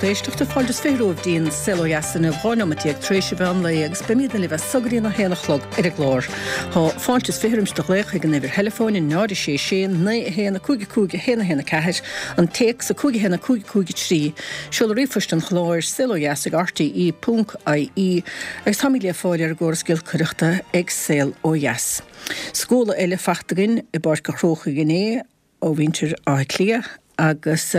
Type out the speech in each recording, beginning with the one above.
lucht éisteachta, fáilte is 20 romhaibh dtí'n Saol Ó Dheas inniu, 12 nóimeat tar éis an mheán lae agus beimidne libh as so go dtí an 1 a chlog ar an gclár. Tá fáilte is 20 roimis do ghlaoch chuig an uimhir theileafóin, 0 6 6 9 1 5 5 1 1 4, an téacs 5 1 5 5 3, seoladh ríomhphoist an chláir, saolodheas ag rte ponc ie, agus táimid le fáil ar an gcóras giolcaireachta ag Saol Ó Dheas. Scóladh eile fachta againn i bPáirc an Chrócaigh inné ó mhuintir Átha Cliath agus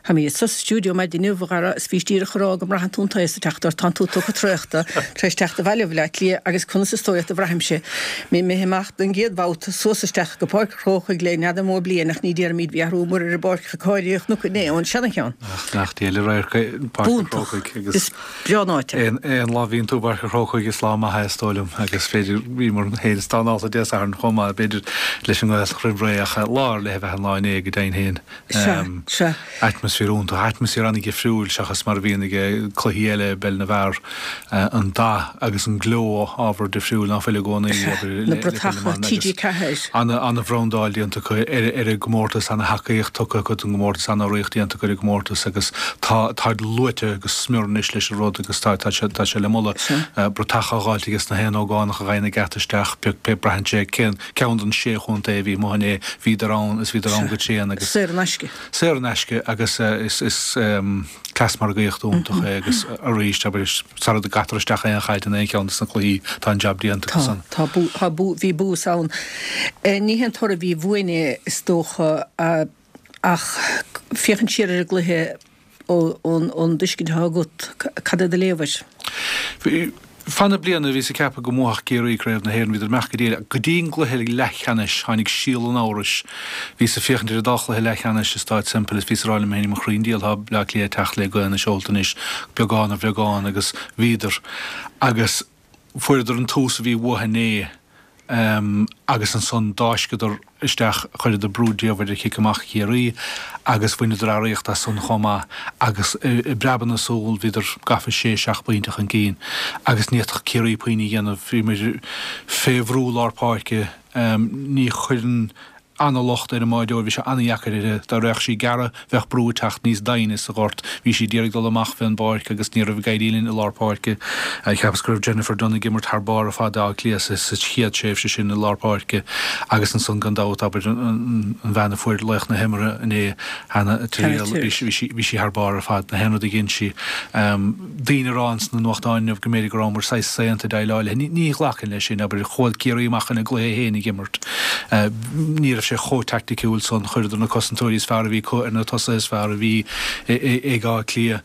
táimid anso sa stiúideo maidin inniu, a Dhara, is bhís díreach ag rá go mbraitheann tú an taos ag teacht ort, tánn tú tugtha traochta tar éis teacht abhaile ó Bhaile Átha Cliath agus conas is dóigh leat a bhraithimse? Mé imithe amach don gcéad bhabhta suas isteach go Páirc an Chrócaigh le n'fheadar mó bliain ach ní déarfaimid bhí athrú mór ar an bpáirc cáirithe chnoc inné ón seana-cheann. Ach nach diail an radharc é Páirc an Chrócaigh agus. Is breá an áit é. Aon lá a bhíonn tú i bPáirc an Chrócaigh is lá maith é is dóigh liom agus b'fhéidir bhíomar féin is dá ndalta Dé Sathairn chomh maith b'fhéidir leis an nGaeltacht roimh ré ach lá ar leith ab ea an lá inné go deimhin féin. Sea, sea. Atmaisféar iontach, atmaisféar an-dhifriúil seachas mar a bhíonn ag cluichí eile i bpeil na bhfear. An dath agus an gleo ábhar difriúil ná fuil i gcónaí Sea, abair na le peil na bratacha mban agus TG4. ana-bhrandáil déanta acu ar ar an gcomórtas, ana-thacaíocht tugtha acu don gcomórtas, ana-urraíocht déanta acu ar an gcomórtas agus tá táid luaite go smior anois leis an rud agus tá tá sé tá sé le moladh. Sea. Bratacha á dháilt aige sna haon ógánach a ghaibheann an geata isteach, pé pé braitheann sé cén ceann den sé chontae a bhí amuigh inné, bhíodar ann is bhíodar ann Sea. go tréan agus. Saor in aisce. Saor in aisce agus is is cleas margaíochta iontach é agus arís, abair, sara gcaitear isteach aon chaid in aon cheann de na cluichí, tá an jab déanta acu Tá, san. tá, tá, bhí bús ann. Ní haon toradh a bhí uainn é, is dócha, ach féachaint siar ar an gcluiche ón dtuiscint atá agat, cad é do léamh air? Bhí, Feadh na bliana bhíos ag ceapadh go mbuafadh Ciarraí Craobh na hÉireann, bhíodar ag imeacht go diail. Go dtí an gcluiche leathcheannais tháinig síol an amhrais. Bhíos ag féachaint ar an dá chluiche leathcheannais i Stáid Semple is bhíos ag rá liom féin, mo chroí 'on diabhal tá Bleá Cliath ag teacht le gaoth na seolta anois, beagán ar bheagán agus bhíodar. Agus fuaireadar an tús a bhí uathu inné agus ansan d'fháisceadar isteach, chuireadar brú diamhair ar chic amach Chiarraí agus bhaineadar earraíocht as san chomh maith agus i bpreabadh na súl bhíodar gafa sé, seacht bpointe chun cinn agus ní fhéadfadh Ciarraí puinn a dhéanamh. Bhíomar fé bhrú lár páirce. Ní chuireann ana-locht ar an mbáireoir, bhí sé ana-dheacair uirthi. Dá raghadh sí gearradh, bheadh brú ag teacht níos doimhne sa ghort. Bhí sí d'iarraidh dul amach fén bpáirc agus ní raibh ag éirí linn i lár páirce. Cheapas go raibh Jennifer Dunne ag imirt thar barr ar fad d'Áth Cliath sa chéad tréimhse sin i lár páirce agus ansan gan dabht, abair, an bhean a fuair laoch na himeartha inné, Hannah Tyrrell, bhí sí thar barr ar fad, na haon rud a dhein sí. Daoine ag rá ins na nuachtáin inniu go mb'fhéidir go rabhamar saghas saonta ag déileáil léi. Ní ghlacfainn leis sin, abair, chuaigh Ciarraí amach chun a gcluiche féin a dh'imirt. Ní raibh sé chomh teaicticiúil san. Chuireadar na cosantóirí is fearr a bhí acu ar na tosaithe is fearr a bhí ag Áth Cliath.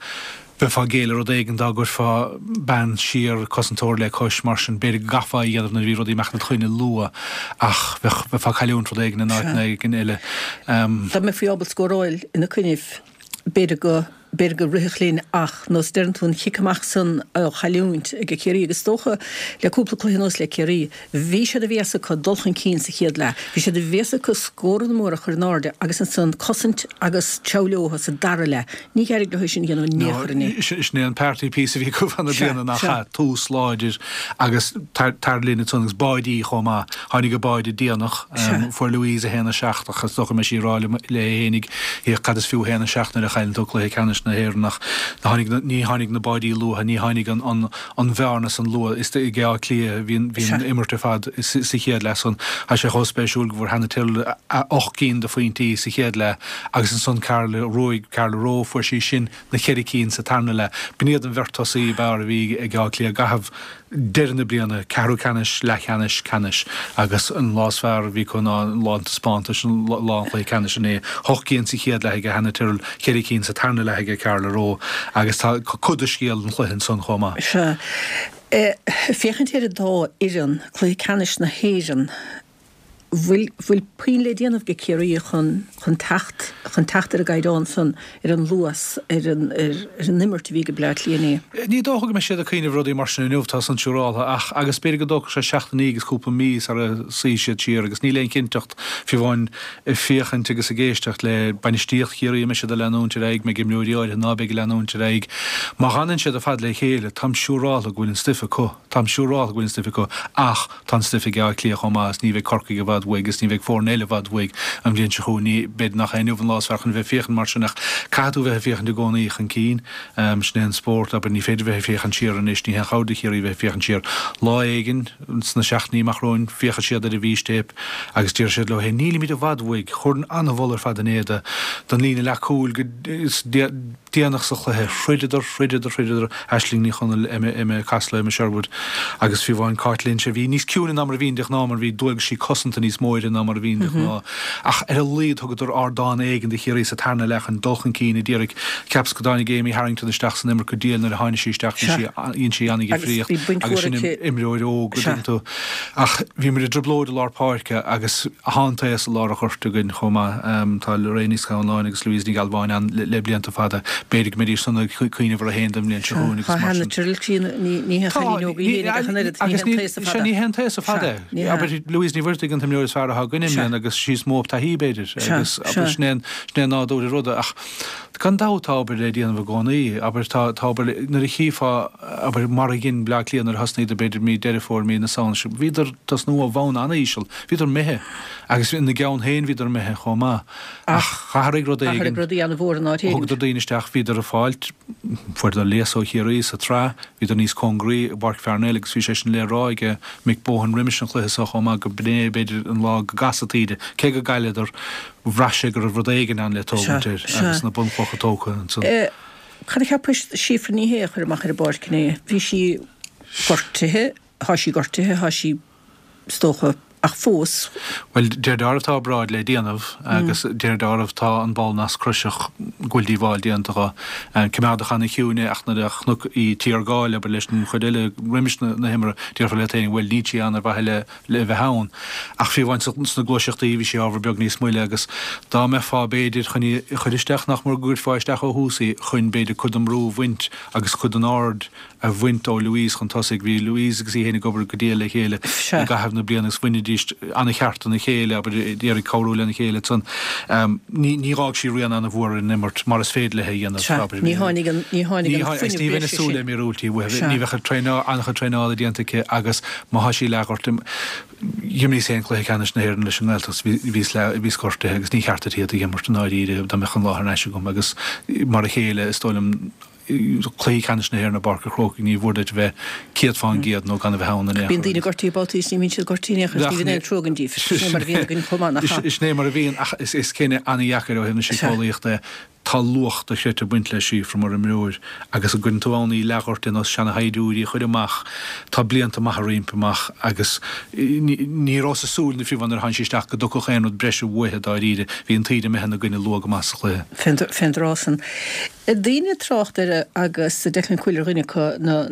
Bheifeá ag géilleadh rud éigin dá gcuirfeá bean siar, cosantóir le cois mar sin. B'fhéidir go gcaithfeá é a dhéanamh nuair a bhí rudaí ag imeacht id choinne luath ach bheadh, bheifeá ag cailliúint rud éigin in áiteanna éigin eile. Dá mbeifí ábalta scóráil ina coinnibh, b'fhéidir go. B'fhéidir go rithfeadh linn ach nós deireann tú an chic amach san á chailliúint ag Ciarraí agus is dócha le cúpla cluiche anuas le Ciarraí, bhí sé de bhéas acu dul chun cinn sa chéad leath, bhí sé de bhéas acu scóranna móra a chur in airde agus ansan cosaint agus treabhadh leo sa dara leath. Ní d'éirigh leo é sin a dhéanamh in aon chor inné. Sin é an party piece a bhí acu feadh na bliana nach ea? Tús láidir agus tar linn ansan agus báidí chomh maith. Tháinig an báide déanach. Fuair Louise 1, 7 ach is dócha go mbeidh sí ag rá léi fhéinig féach cad is fiú 1, 7 nuair a chailleann tú cluiche ceannais na hÉireann ach tháinig na, ní tháinig na báidí luatha, ní tháinig an, an, an bhearna san luath is ag Áth Cliath bhí an, bhí an imirt ar fad sa chéad leath san. Tá sé chomh spéisiúil go bhfuair Hannah Tyrrell 8 gcinn de phointí sa chéad leath agus ansan Carla Rowe, Carla Rowe fuair sí sin na ceithre cinn sa tarna leath. B'in iad an bheirt tosaí ab fhearr a bhí ag Áth Cliath i gcaitheamh deireadh na bliana, ceathrú ceannais, leathcheannais, ceannais agus an lá is fearr a bhí acu ná lá an taispeántais, lá an chluiche ceannais inné. Hocht gcinn sa chéad leath aige Hannah Tyrrell, ceithre cinn sa tarna leath aige Carla Rowe agus tá cuid de scéal an chluiche ansan chomh maith. Sea. Féachaint ar an dá fhoireann, cluiche ceannais na hÉireann, bhfuil, bhfuil puinn le déanamh ag Ciarraí chun, chun teacht, chun teacht ar an gcaighdeán san, ar an luas, ar an, ar, ar an imirt a bhí ag Bleá Cliath inné? Ní dócha go mbeidh siad ag cuimhneamh rudaí mar sin inniu, tá san siúráltha, ach, agus b'fhéidir go dtógfadh sé seachtainí agus cúpla mí sara suífidh siad siar agus níl aon chinnteacht, fiú amháin ag féachaint agus ag éisteacht le bainistíocht Chiarraí, an mbeidh siad ag leanúint ar aghaidh, mbeidh imreoirí áirithe ná beidh ag leanúint ar aghaidh. Má dh'fhanann siad ar fad le chéile, táim siúráltha go bhfuil an stuif acu, táim siúráltha go bhfuil an stuif acu, ach. Tá an stuif ag Áth Cliath chomh maith is ní bheidh Corcaigh i bhfad uaidh agus ní bheidh foirne eile i bhfad uaidh an bhliain seo chugainn. Ní, b'fhéidir nach é inniu an lá is. is fearr chun bheith ag féachaint mar sin ach caithfidh tú bheith ag féachaint i gcónaí chun cinn. Sin é an spórt, abair, ní féidir bheith ag féachaint siar anois, ní haon chabhair do Chiarraí bheith ag féachaint siar. Lá éigin sna seachtainí amach romhainn féachfaidh siad ar an bhfístéip agus déarfaidh siad leo féin, nílimid i bhfad uaidh, chuir an-mholadh ar fad in éadan don líne leathchúil go déanach sa chluiche. Throideadar, throideadar, throideadar, Aisling Ní Chonaill, Emma, Emma Costello, Emma Sherwood agus fiú amháin Cáit Lynch a bhí níos ciúine ná mar a bhíonn de ghnáth mar bhí dualgaisí cosanta níos mó uirthi ná mar a bhíonn de ghnáth. Ach ar a laghad thugadar ardán éigin do Chiarraí sa tarna leath chun dul chun cinn a d'iarraidh. Cheapas go dtáinig Amy Harrington isteach san imirt go diail nuair a tháinig sí isteach bhí sí, dhein sí an-dhifríocht agus sin imreoir óg a dtuigeann tú. Ach bhí muid i dtrioblóid i lár páirce agus thá an taos i lár an ghoirt againn chomh maith. Tá Lorraine Ní Scanláin agus Louise Ní Ghealbháin ann le blianta fada. B'fhéidir go mbeidís san ag cuimhneamh orthu féin don mbliain seo chugainn agus mar sin. Ní hé an chailín óg í féin ach an oiread, ní hé an taos fada. Ní hé an taos fada é. Abair Louise Ní Mhuirthigh an t-imreoir is fearr atá againn i mbliana agus sí is mó taithí b'fhéidir agus abair sin é an nádúr an ruda ach gan dabht tá obair le déanamh i gcónaí. Abair tá obair nuair a chífeá Abair, mar a dhein Bleá Cliath nuair a thosnaíodar, b'fhéidir mí Deireadh Fómhair, mí na Samhna, bhíodar ag tosnú ó bhonn an-íseal, bhíodar imithe, agus ina gceann féin bhíodar imithe chomh maith. Ach athraigh rud éigin, Athraigh rudaí an-mhór in áit éigin. Thugadar daoine isteach, bhíodar ag fáilt, fuaireadar léas ó Chiarraí sa tsraith, bhíodar níos cóngaraí i bPáirc Pharnell agus bhí sé sin le rá ag Mick Bohan roimis an chluiche seo chomh maith go b'in é b'fhéidir an lá go gcasfadh taoide, cé go gcailleadar, bhraith sé go raibh rud éigin ann le tógaint air agus na bunchlocha tógtha ansan. Cad a cheapais Síofra Ní Shé a chur amach ar an bpáirc inné? Bhí sí gortaithe, thá sí gortaithe, thá sí, is dócha, ach fós. Bhuel, de réir dealraimh tá obráid le déanamh agus de réir dealraimh tá an ball nascchroiseach go bhfuil díobháil déanta dho. Coimeádadh ana-chiúin é ach nuair a chonac í ag tiargáil, abair, leis an chuid eile roimis na himeartha, déarfá leat féin, bhuel, níl sí ann ar mhaithe le le bheith ann. Ach fiú amháin sna gluaiseachtaí bhí sí ábhar beag níos moille agus dá mbeifeá b'fhéidir chun í a chur isteach nach mór go gcuirfeá isteach ó thús í chun b'fhéidir cuid den mbrú a bhaint agus cuid den aird a bhaint ó Louise chun tosaigh. Bhí Louise agus í féin ag obair go diail le chéile i gcaitheamh na bliana agus bhainidís an-cheart ina chéile, abair, d'iarraidh cabhrú lena chéile ansan. Ní dh'fhág sí rian an-mhór ar an imirt mar is féidir léi a dhéanamh, abair. Ní tháinig an ní tháinig an fuinneamh Ní bheinn ag súil le míorúiltí uaithi. Ní bheadh an-chuid traenála déanta aici agus Má thá sí leathghortaithe, d'imríos féin cluiche ceannais na hÉireann leis an nGaeltacht, bhíos leath, bhíos gortaithe agus ní cheart duit iad a dh'imirt i ndáiríre dá mbeadh an lá thar n-ais agam agus mar a chéile is dóigh liom cluichí ceannais na hÉireann i bPáirc an Chrócaigh ní mhór duit a bheith 100% nó gan a bheith ann in aon chor. Bíonn daoine gortaithe babhtaí is ní bhíonn siad gortaithe in aon chor is ní bhíonn aon trua againn díobh. Sin é mar a bhíonn againn chomh maith, nach ea? Sin é mar a bhíonn ach is cinneadh an-dheacair ó thaobh na síceolaíochta é. Tá luach dochreidte ag baint le Síofra mar imreoir agus an gcuireann tú ann í leathghortaithe ar nós seanashaighdiúirí a chur amach, tá blianta maithe roimpi amach agus ní rabhas ag súil fiú amháin nuair a tháinig sí isteach go dtiocfadh aon rud breise uaithi dáiríre. Bhí an taoide imithe ina gcoinne luath go maith sa chluiche. Fén dtráth san. Daoine ag trácht air agus Declan Quill ar dhuine acu, na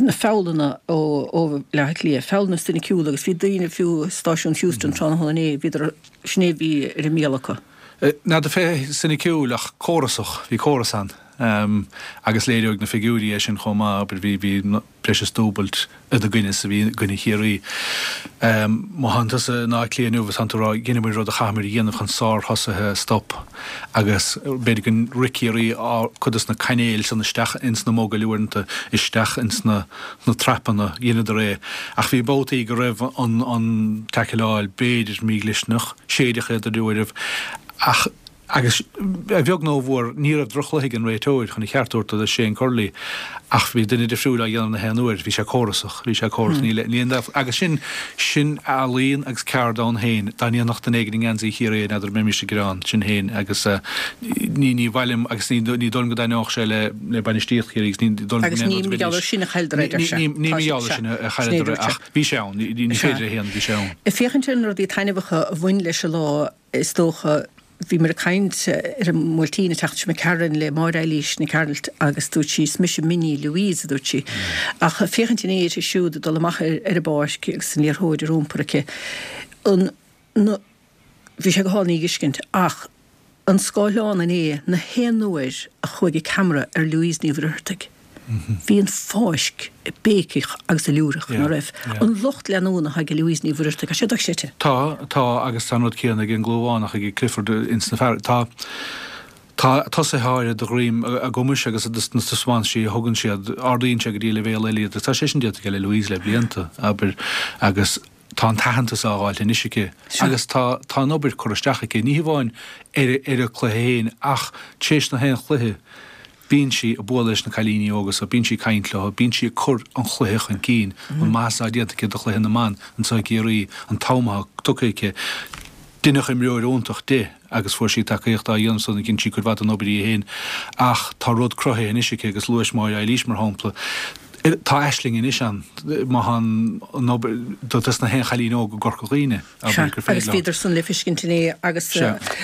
na feabhlanna ó Bhaile Átha Cliath, feabhlanna soiniciúla agus bhí daoine fiú i stáisiún Heuston tráthnóna inné, bhíodar, sin é a bhí ar a mbéal acu. N'fheadar fé soiniciúil ach córasach, bhí córas ann. Agus léireoidh na figiúirí é sin chomh maith, abair, bhí, bhí breis is dúbailt ina gcoinne is a bhí i gcoinne Chiarraí. Má thánn tusa in Áth Cliath inniu agus tánn tú ag rá, dheineamair rud a chaithfimid a dhéanamh chun sárthosaithe a stop agus b'fhéidir gur rith Ciarraí cuid dos na cainéil san isteach ins na mogaill uaireanta, isteach ins na na trapanna, dheineadar é. Ach bhí babhtaí go raibh an an taicealáil b'fhéidir mídhlisteanach, séideadh iad ar uairibh, ach, agus a bheag nó a mhór, ní raibh droch-chluiche ag an réiteoir, chun a cheart a thabhairt do Shane Curley, ach bhí duine difriúil á dhéanamh na haon uair, bhí sé córasach, bhí sé córasach, níl, níl aon dabht, agus sin, sin ealaín agus ceard ann féin, dá ndéanfadh duine éigin i ngeansaí Chiarraí é, n'fheadar an mbeimis ag gearán, sin féin, agus ní, ní mhaith liom, agus ní, ní dóigh liom go dtaitneodh sé le, le bainistíocht Chiarraí agus ní dóigh liom go Agus ní mar gheall air sin a chailleadar é, deir sé. Ní mar gheall air sin a chailleadar é ach bhí sé ann, ní féidir a shéanadh, bhí sé ann. Ag féachaint ar na rudaí taitneamhacha a bhain leis an lá, is dócha, bhíomar ag caint ar an mBuailtín an tseachtain seo imigh tharainn le Máire Eilís Nic Gearailt agus dúirt sí, is mise mini Louise, a dúirt sí. Ach féachaint inné uirthi siúd ag dul amach ar an bpáirc agus an liathróid ar iompar aici, an, na, Bhí sé go hálainn í a fheiscint, ach an scáileán inné, na haon uair a chuaigh an ceamara ar Louise Ní Mhuircheartaigh, bhí an fáisc ag béiceach agus ag liúireach, ná raibh? An lucht leanúna atá ag Louise Ní Mhuircheartaigh, tá sé dochreidte. Tá, tá, agus tá an rud céanna ag an gClúmhánach, ag Clifford ins na fear, tá, tá tosaithe áirithe de dhroim a gcumais agus na taispeántaisí a thugann siad, ardaíonn sé go dtí leibhéal eile iad, agus tá sé sin déanta aige le Louise le blianta, abair, agus. Tá an t-aitheantas á fháilt anois aici agus tá tá an obair curtha isteach aici, ní hamháin ar ar an cluiche féin ach tar éis na haon chluiche bíonn sí ag bualadh leis na cailíní óga so, bíonn sí ag caint leo, bíonn sí ag cur an chluiche chun cinn, an maitheas atá déanta aici do chluiche na mban anseo i gCiarraí, an t-am atá tugtha aici. Deineadh imreoir iontach di agus fuair sí tacaíocht á dhéanamh san, dhein sí cuid mhaith den obair í féin ach tá rud cruthaithe anois aici agus luais Máire Eilís mar shampla. Tá aisling anois ann má tá an obair dos na haon chailín óg i gCorca Dhuibhne, abair, gur féidir leo. Agus bhíodar san le feiscint inné agus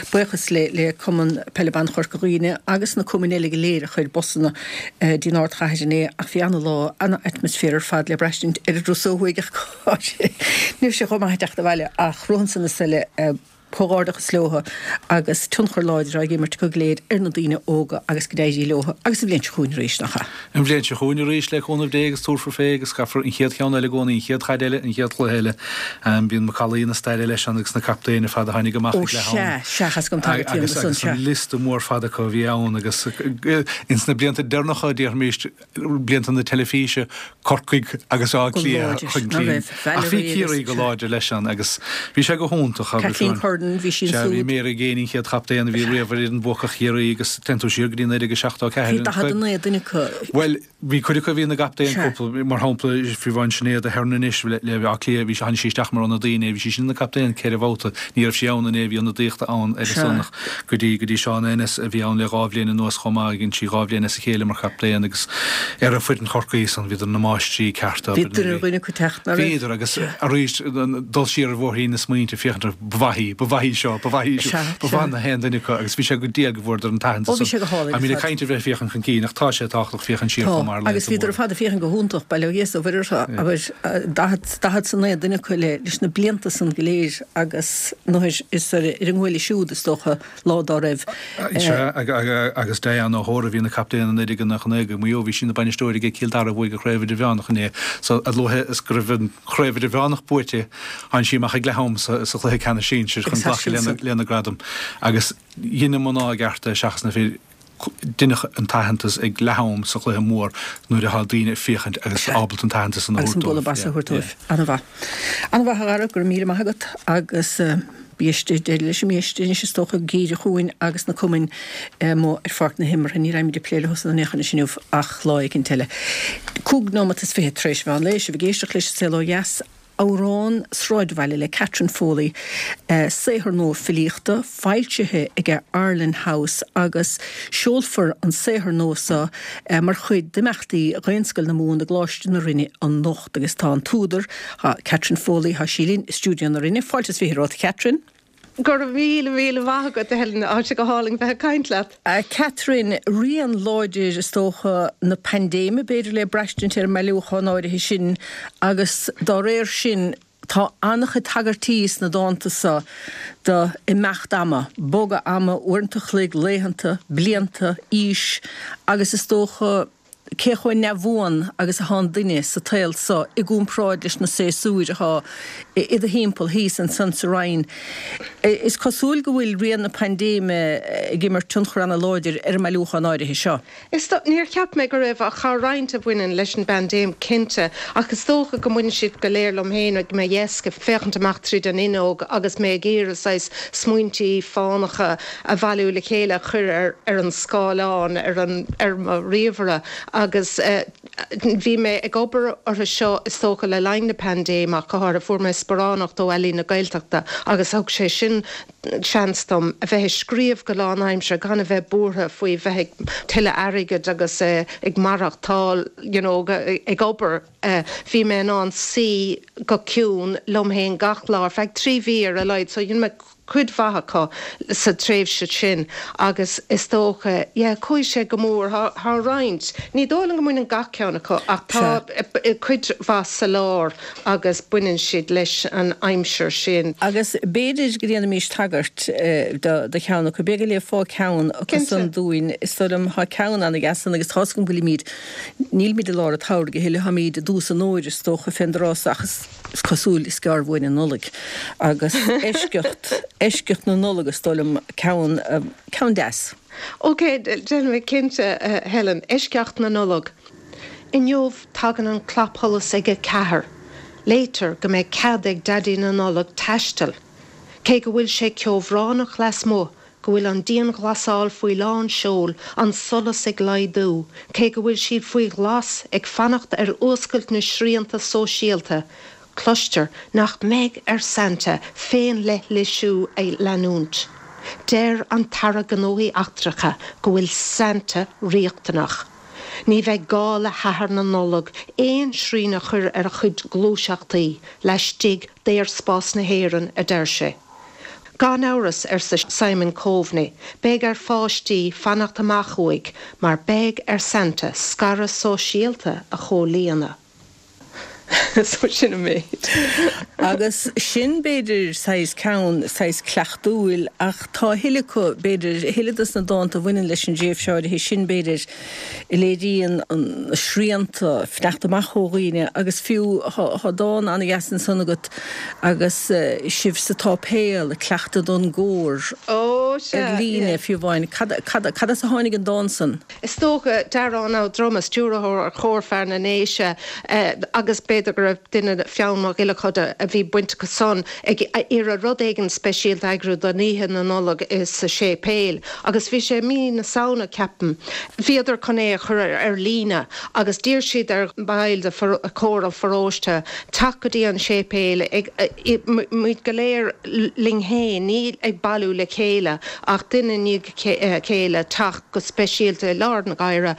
buíochas le Cumann Peile Ban Chorca Dhuibhne agus na cumainn eile go léir a chuir busanna dtí'n ardchathair inné ach bhí ana-lá, ana-atmaisféar ar fad le braistint ar an dturas ó thuaidh ach ní raibh sé chomh maith ag teacht abhaile ach romhan san is eile. Comhghairdeachas leotha agus tionchar láidir á imirt acu go léir ar na daoine óga agus go n-éirí leotha agus an bhliain seo chugainn arís, nach ea? An bhliain seo chugainn arís, le cúnamh Dé agus tabharfar fé agus caithfear an chéad cheann eile i gcónaí, an chéad chaid eile, an chéad chluiche eile. Bíonn macallaí na staire leis ann agus na captaein ar fad a tháinig amach ag leath am. Ó sea, sea, tá a fhios agam tagairtí agus san, sea. Agus an liosta mór fada acu a bhí ann agus ins na blianta deireanacha, déarfaimis, blianta na teilifíse, Corcaigh agus Áth Cliath chun cinn. Ach bhí Ciarraí go láidir leis ann agus bhí sé go hiontach. Kathleen Curran, bhí sí ansúd. Bhí Mary Geaney an chéad chaptaen a bhí riamh ar fhoireann buacach Chiarraí agus téann tú siar go dtí 1974. Bhí 49 duine acu. Bhuel, bhí cuid acu a bhí ina gcaptaen cúpla, mar shampla, fiú amháin Sinéad Aherne anois le Áth Cliath, bhí, tháinig sí isteach mar ionadaí inné, bhí sí sin ina captaen ceithre bhabhta, ní raibh sí ann inné, bhí ionadaíocht ann ar a son ach go dtí, go dtí Seán Ennis a bhí ann le dhá bhliain anuas chomh maith, dhein sí dhá bhliain as a chéile mar chaptaen agus ar an foireann Chorcaí san bhíodar na máistrí cearta. Bhí duine ar dhuine acu teacht, nach raibh? Bhíodar agus arís dul siar ar bhóithrín na smaointe féachaint ar ba mhaith í, ba mhaith í seo, ba mhaith í seo, ba mhaith na haon duine acu agus bhí sé go diail go bhfuaireadar an t-aitheantas. Ó bhí sé go hálainn ar fad. I mean ag caint ar bheith ag féachaint chun cinn ach tá sé tábhachtach féachaint siar chomh maith ar laethanta móra. Agus bhíodar ar fad ag féachaint go hiontach, bail ó Dhia is ó Mhuire orthu, abair, 49 duine acu leis na blianta san go léir agus nuair is ar an nguaille siúd is dócha lá dá raibh. Sea, agus Diane O'Hora a bhí ina captaen i 1999 ag Maigh Eo, bhí sí ina bainisteoir ag Cill Dara a bhuaigh an Chraobh Idirmheánach inné. So, a luaithe is go raibh an Chraobh Idirmheánach buaite, tháinig sí amach ag leath am sa chluiche ceannais sinsir chun glacadh lena gradam. Agus dhein na mná i gceart é seachas na fir. Deineadh an t-aitheantas ag leath am sa chluiche mór nuair atá daoine ag féachaint agus ábalta an t-aitheantas san a thabhairt dóibh. Agus an bualadh bos a thabhairt dóibh. An-mhaith. An-mhaith a Dhara, go raibh míle maith agat agus bí istigh, deireadh leis an mbiaiste anois is dócha, geimhreadh chugainn agus na cumainn amuigh ar pháirc na himeartha. Ní raghaimid ag plé leo san in aon chor anois inniu ach lá éicint eile. Cúig nóimeat is fichead tar éis mheán lae, sibh ag éisteacht leis An Saol Ó Dheas. Amhrán Sráidbhaile le Catherine Foley, saothar nua filíochta, foilsithe aige Arlen House agus seolfar an saothar nua seo mar chuid d'imeachtaí Dhaonscoil na Mumhan i gColáiste na Rinne anocht agus tá an t-údar, Catherine Foley, tá sí linn i stiúideo na Rinne. Fáilte is fiche romhat, a Catherine. Go raibh míle, míle maith agat, a Helen. Tá sé go hálainn bheith ag caint leat. A Catherine, rian láidir, is dócha, na paindéime, b'fhéidir, le braistint ar an mbailiúchán áirithe sin agus dá réir sin tá an-chuid tagairtí sna dánta seo do imeacht ama, bogadh ama, uaireanta a chloig, laethanta, blianta, aois agus is dócha, cé chomh neamhbhuan agus atá an duine sa tsaol so i gcomparáid leis na séasúir atá i do thimpeall thíos ansan sa Rinn. Is cosúil go bhfuil rian na paindéime ag imirt tionchar ana-láidir ar an mbailiúchán áirithe seo. Is dó, níor cheap mé go raibh ach tá roinnt a bhaineann leis an bpaindéim cinnte, ach is dócha go mbaineann siad go léir liom féin ag mo dheasc ag féachaint amach tríd an fhuinneog agus mé ag iarraidh saghas smaointí fánacha a bhailiú le chéile a chur ar ar an scáileán ar an ar mo ríomhaire agus bhí mé ag obair orthu seo is dócha le linn na paindéime ach go háirithe. Fuair mé sparánacht ó Ealaín na Gaeltachta agus thug sé sin seans dom a bheith ag scríobh go lánaimseartha gan a bheith buartha faoi bheith ag tuilleadh airgid agus ag maireachtáil you know ag obair. Bhí mé in ann suí go ciúin liom féin gach lá ar feadh 3 mhí ar a laghad so dhein mé cuid mhaith acu sa tréimhse sin agus is dócha, yeah, chuaigh sé go mór, tá roinnt, ní dóigh liom go mbaineann gach ceann acu ach tá cuid mhaith sa lár agus baineann siad leis an aimsir sin. Agus b'fhéidir go ndéanfaimis tagairt do cheann acu, b'fhéidir go léifeá ceann acu san dúinn, is dóigh liom, tá ceann an-deas ann agus tá's agam go bhfuilimid, nílimid i lár an tsamhraidh a thuilleadh, táimid i dtús an fhómhair is dócha fén dtráth so ach is. Is cosúil is gearr uainn an Nollaig agus eisceacht, eisceacht na Nollag is dóigh liom, ceann, ceann deas. Ok, déanfaidh mé cinnte, a Helen. Eisceacht na Nollag. Inniu tagann an clapsholas ag a ceathair. Léitear go mbeidh cead ag Daidí na Nollag taisteal, cé go bhfuil sé ceobhránach lasmuigh, go bhfuil an dianghlasáil faoi lán seoil, an solas ag laghdú, cé go bhfuil siad faoi ghlas ag fanacht ar fhuascailt na srianta sóisialta, cloistear nach mbeidh ar Santa féinleithlisiú a leanúint. Deir an tAire Gnóthaí Eachtracha go bhfuil Santa riachtanach. Ní bheidh gá le hAthair na Nollag aon srian a chur ar a chuid gluaiseachtaí laistigh d'aerspás na hÉireann, a deir sé. Gan amhras, arsa Simon Coveney, beidh ar pháistí fanacht amach uaidh mar beidh ar Santa scaradh sóisialta a chomhlíonadh. So sin an méid. Agus sin, b'fhéidir, saghas ceann, saghas cleachtúil, ach tá a thuilleadh acu, b'fhéidir, a thuilleadh dos na dánta a bhaineann leis an dtréimhse áirithe sin, b'fhéidir, a léiríonn na srianta, fanacht amach ó dhaoine, agus fiú, tá dán an-dheas ansan agat agus sibh sa tsáipéal ag cleachtadh don gcór ar líne, fiú amháin. Cad, cad, cad as a tháinig an dán san? Is dócha, Darán Ó Droma, stiúrthóir Chór Fear na nDéise, agus b'fhéidir go raibh duine fonn Mac Giolla Choda a bhí baint acu san, ag iarraidh rud éigin speisialta a eagrú don Oíche na Nollag sa séipéal. Agus bhí sé i mí na Samhna, ceapaim. Bhíodar chun é a chur ar líne agus d'iarr siad ar bhaill de chór an pharóiste teacht go dtí an séipéal ag, muid go léir linn féin, ní ag bailiú le chéile ach duine i ndiaidh a chéile teacht go speisialta i lár na gáire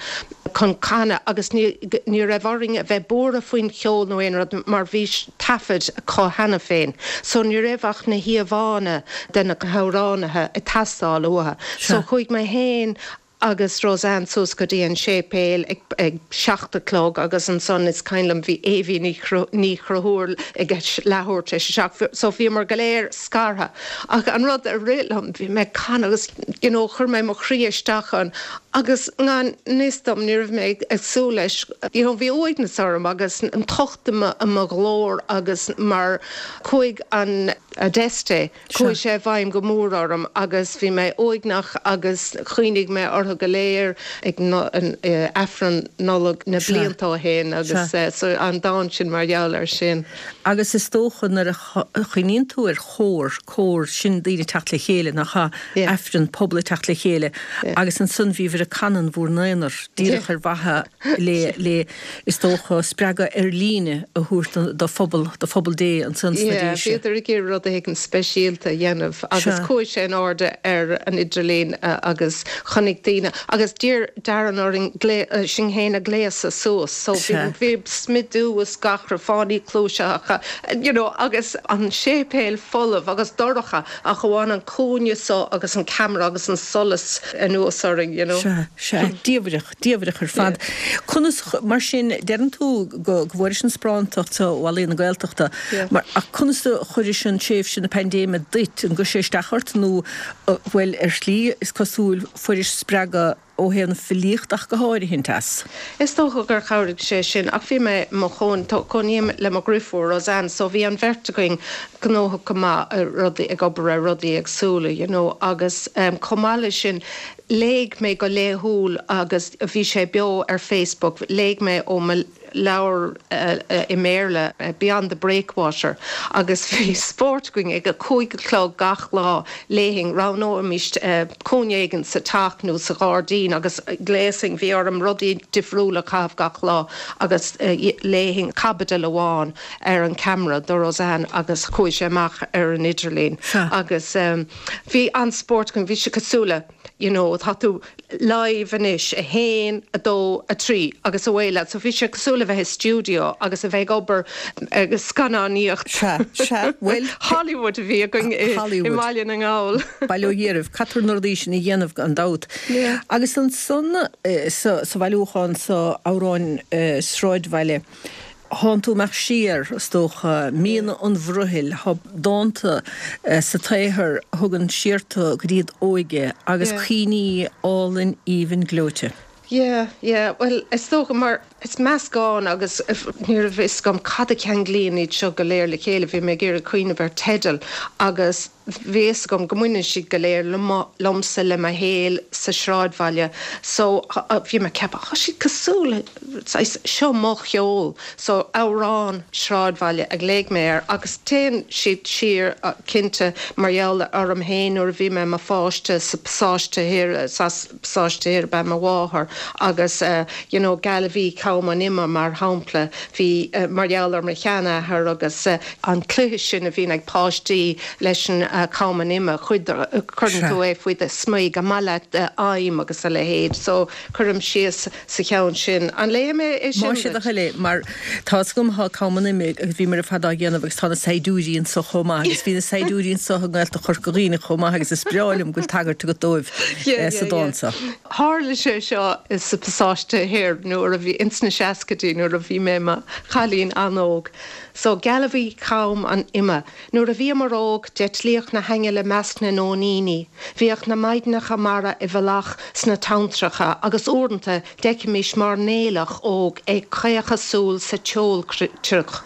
chun canadh agus ní raibh orainn a bheith buartha faoin cheol nó aon rud mar bhí taifead acu cheana féin so ní raibh ach na híomhánna de na hamhránaithe ag teastáil uathu. So chuaigh mé féin agus Roseanne suas go dtí an séipéal ag 7 a chlog agus ansan is cuimhin liom bhí Éibhí Ní Chonchúir ag leathuair tar éis a 7 so bhíomar go léir scartha. Ach an rud a rith liom, bhí mé ag canadh agus you know chuir mé mo chroí isteach ann agus ngan fhios dom, ní raibh mé ag súil leis, you know bhí uaigneas orm agus an tocht i mo ghlór agus mar chuaigh an Adeste, chuaigh sé i bhfeidhm go mór orm agus bhí mé uaigneach agus chuimhnigh mé orthu go léir ag Aifreann Nollag na blianta ó shin agus so an dán sin mar gheall air sin. Agus is dócha nuair a chuimhníonn tú ar chór, cór, sin daoine ag teacht le chéile, nach ea? Aifreann, pobal ag teacht le chéile agus ansan bhíobhair ag canadh in bhur n-aonar, díreach ar mhaithe le, le, is dócha, spreagadh ar líne a thabhairt do phobal, do phobal Dé ansan sna Yeah, Déise. bhíodar ag iarraidh rud éigin speisialta a dhéanamh agus chuaigh sé in airde ar an idirlíon agus chonaic daoine agus d'iarr Darren orainn sinn féin a ghléasadh suas so bhí smidiú is gach rud, fáinní cluaise you know agus an séipéal folamh agus dorcha ach amháin an cúinne so agus an ceamara agus an solas anuas orainn you know. Sea, sea, diamhrach, diamhrach ar fad. Conas, mar sin, deireann tú go bhfuairis an sparántacht so ó Ealaín na Gaeltachta, mar, ach conas a chuiris an tréimhse na paindéime duit, an gcuir sé isteach ort nó, bhuel, ar shlí, is cosúil, fuairis spreagadh ó thaobh na filíochta ach go háirithint as. Is dócha gur chabhraigh sé sin ach bhí mé i mo chónaí, cónaím le mo dhriofúr Roseanne so bhí an bheirt againn gnóthach go maith ar rudaí, ag obair ar rudaí éagsúla you know agus chomh maith leis sin léigh mé go laethúil agus bhí sé beo ar Facebook, léigh mé ó mo leabhar i mBéarla, Beyond the Breakwater, agus bhí spórt againn ag a 5 a chlog gach lá, léifinn, roghnóimis cúinne éigin sa teach nó sa ghairdín agus ghléasfainn, bhí orm rudaí difriúla a chaitheamh gach lá agus léifinn caibidil amháin ar an ceamara do Roseanne agus chuaigh sé amach ar an idirlíon agus bhí an-spórt againn, bhí sé cosúil le. you know tá tú live anois, 1, 2, 3 agus away leat. So bhí sé cosúil le bheith i stiúideo agus a bheith ag obair ag scannánaíocht. Sea, sea, bhuel. Hollywood a bhí againn i mBaile na nGall. Bail ó Dhia oraibh, caithfear na rudaí sin a dhéanamh gan dabht. Yeah. Agus ansan sa bhailiúchán so, Amhráin Sráidbhaile, Thánn tú amach siar, is dócha, míonna an bhrothaill, tá dánta sa tsaothar a thugann siar tú go dtí d'óige agus cuimhní álainn aoibhinn gleoite. Yeah, yeah, bhuel is dócha mar is meascán agus ní raibh fhios agam cad a cheanglaíonn iad seo go léir le chéile, bhí mé ag iarraidh cuimhneamh ar teideal agus bhí fhios agam go mbaineann siad go léir liomsa, le mo shaol sa sráidbhaile so bhí mé ag ceapadh, tá siad cosúil le saghas, seo mo cheol so amhrán sráidbhaile a ghlaoigh mé air agus téann siad siar cinnte mar gheall orm féin nuair a bhí mé i mo pháiste sa pasáiste thiar, as pasáiste thiar ab ea mo mháthair agus you know gealbhaí cham an ime mar shampla, bhí mar gheall ar mo sheanathair agus an cluiche sin a bhíonn ag páistí leis an cham an ime, cuid cuireann tú é faoi do smig, an maith leat im agus a leithéid so cuirim síos sa cheann sin. An léifidh mé é sin Más é do thoil é, mar tá fhios agam thá cam an ime agus bhíomar ar fad á dhéanamh agus tá na saighdiúirí anso chomh maith agus bhí na saighdiúirí anso i nGaeltacht Chorca Dhuibhne chomh maith agus is breá liom go bhfuil tagairt agat dóibh sa dán seo. Tharla sé seo sa Pasáiste Thoir nuair a bhí, ins na seascaidí nuair a bhí mé i mo chailín an-óg. So, gealbhaí cham an ime. Nuair a bhíomar óg, d'eitlíodh na haingil i measc na nóiníní. Bhíodh na maighdeanacha mara i bhfolach sna tonntracha agus uaireanta d'fheicimis mairnéalach óg ag caochadh súl sa tseolcrioch.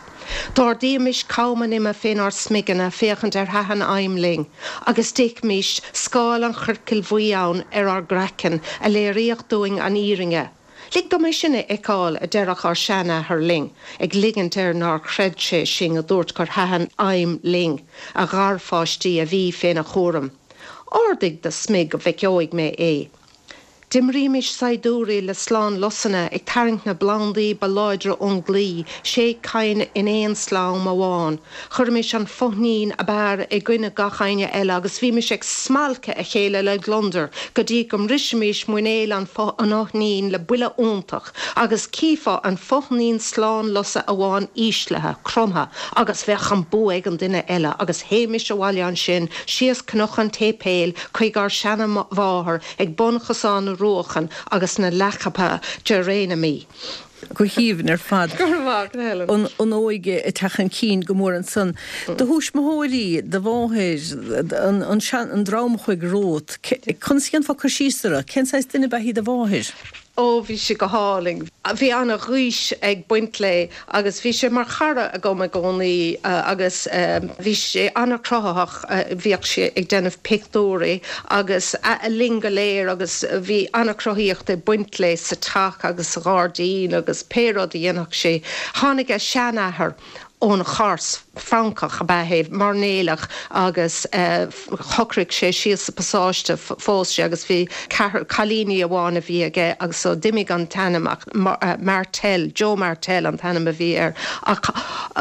D'ardaímis cam an ime fénár smigeanna féachaint ar thaitin im linn, agus d'fheicimis scáil an choircil bhuí ann ar ár gcraiceann, a léiríodh dúinn an fhírinne. Lig dom é sin a fheiceáil, a deireadh ár seanathair linn, ag ligint air nár chreid sé sinn a dúirt gur thaitin im linn, a gharpháistí a bhí féna chúram. Ardaigh do smig go bhfeiceoidh mé é. D'imrímis saighdiúirí le slán lusanna ag tarraingt na bplandaí ba láidre ón gclaí, sé cinn in aon slám amháin. Chuirimis an fóithnín ab fhearr i gcoinne gach éinne eile agus bhímis ag smalcadh a chéile le gliondar go dtí go mbrisimis muinéal an fhoithnín le buille iontach agus chífeá an fóithnín slán lusa amháin íslithe, cromtha agus bheadh an bua ag an duine eile agus théimis abhaile ansin síos Cnoc an tSéipéil chuig ár seana-mháthair ag bun Chosán na Ruachan agus na leathcheaptha geiréiniamaí. Go haoibhinn ar fad. Go raibh maith agat, Helen. An óige ag teacht chun cinn go mór ansan. Do thuismitheoirí, do mháthair, an sean, an dream a chuaigh romhat, conas a dhéanfá cur síos orthu? Cén saghas duine ab ea í do mháthair? Ó, bhí sí go hálainn. Bhí ana-ghaois ag baint léi agus bhí sé mar chara agam i gcónaí agus bhí sé ana-chruthaitheach, bhíodh sé ag déanamh pictiúirí agus linn go léir agus bhí ana-chruthaíocht ag baint léi sa teach agus sa ghairdín agus pé rud a dhéanfadh sí. Tháinig a seanathair ón Chors, Francach ab ea é, mairnéalach agus shocraigh sé síos sa bpasáiste, phós sé agus bhí ceathrar cailíní amháin a bhí aige agus so d'imigh an t-ainm ach Martel, Joe Martel an t-ainm a bhí air ach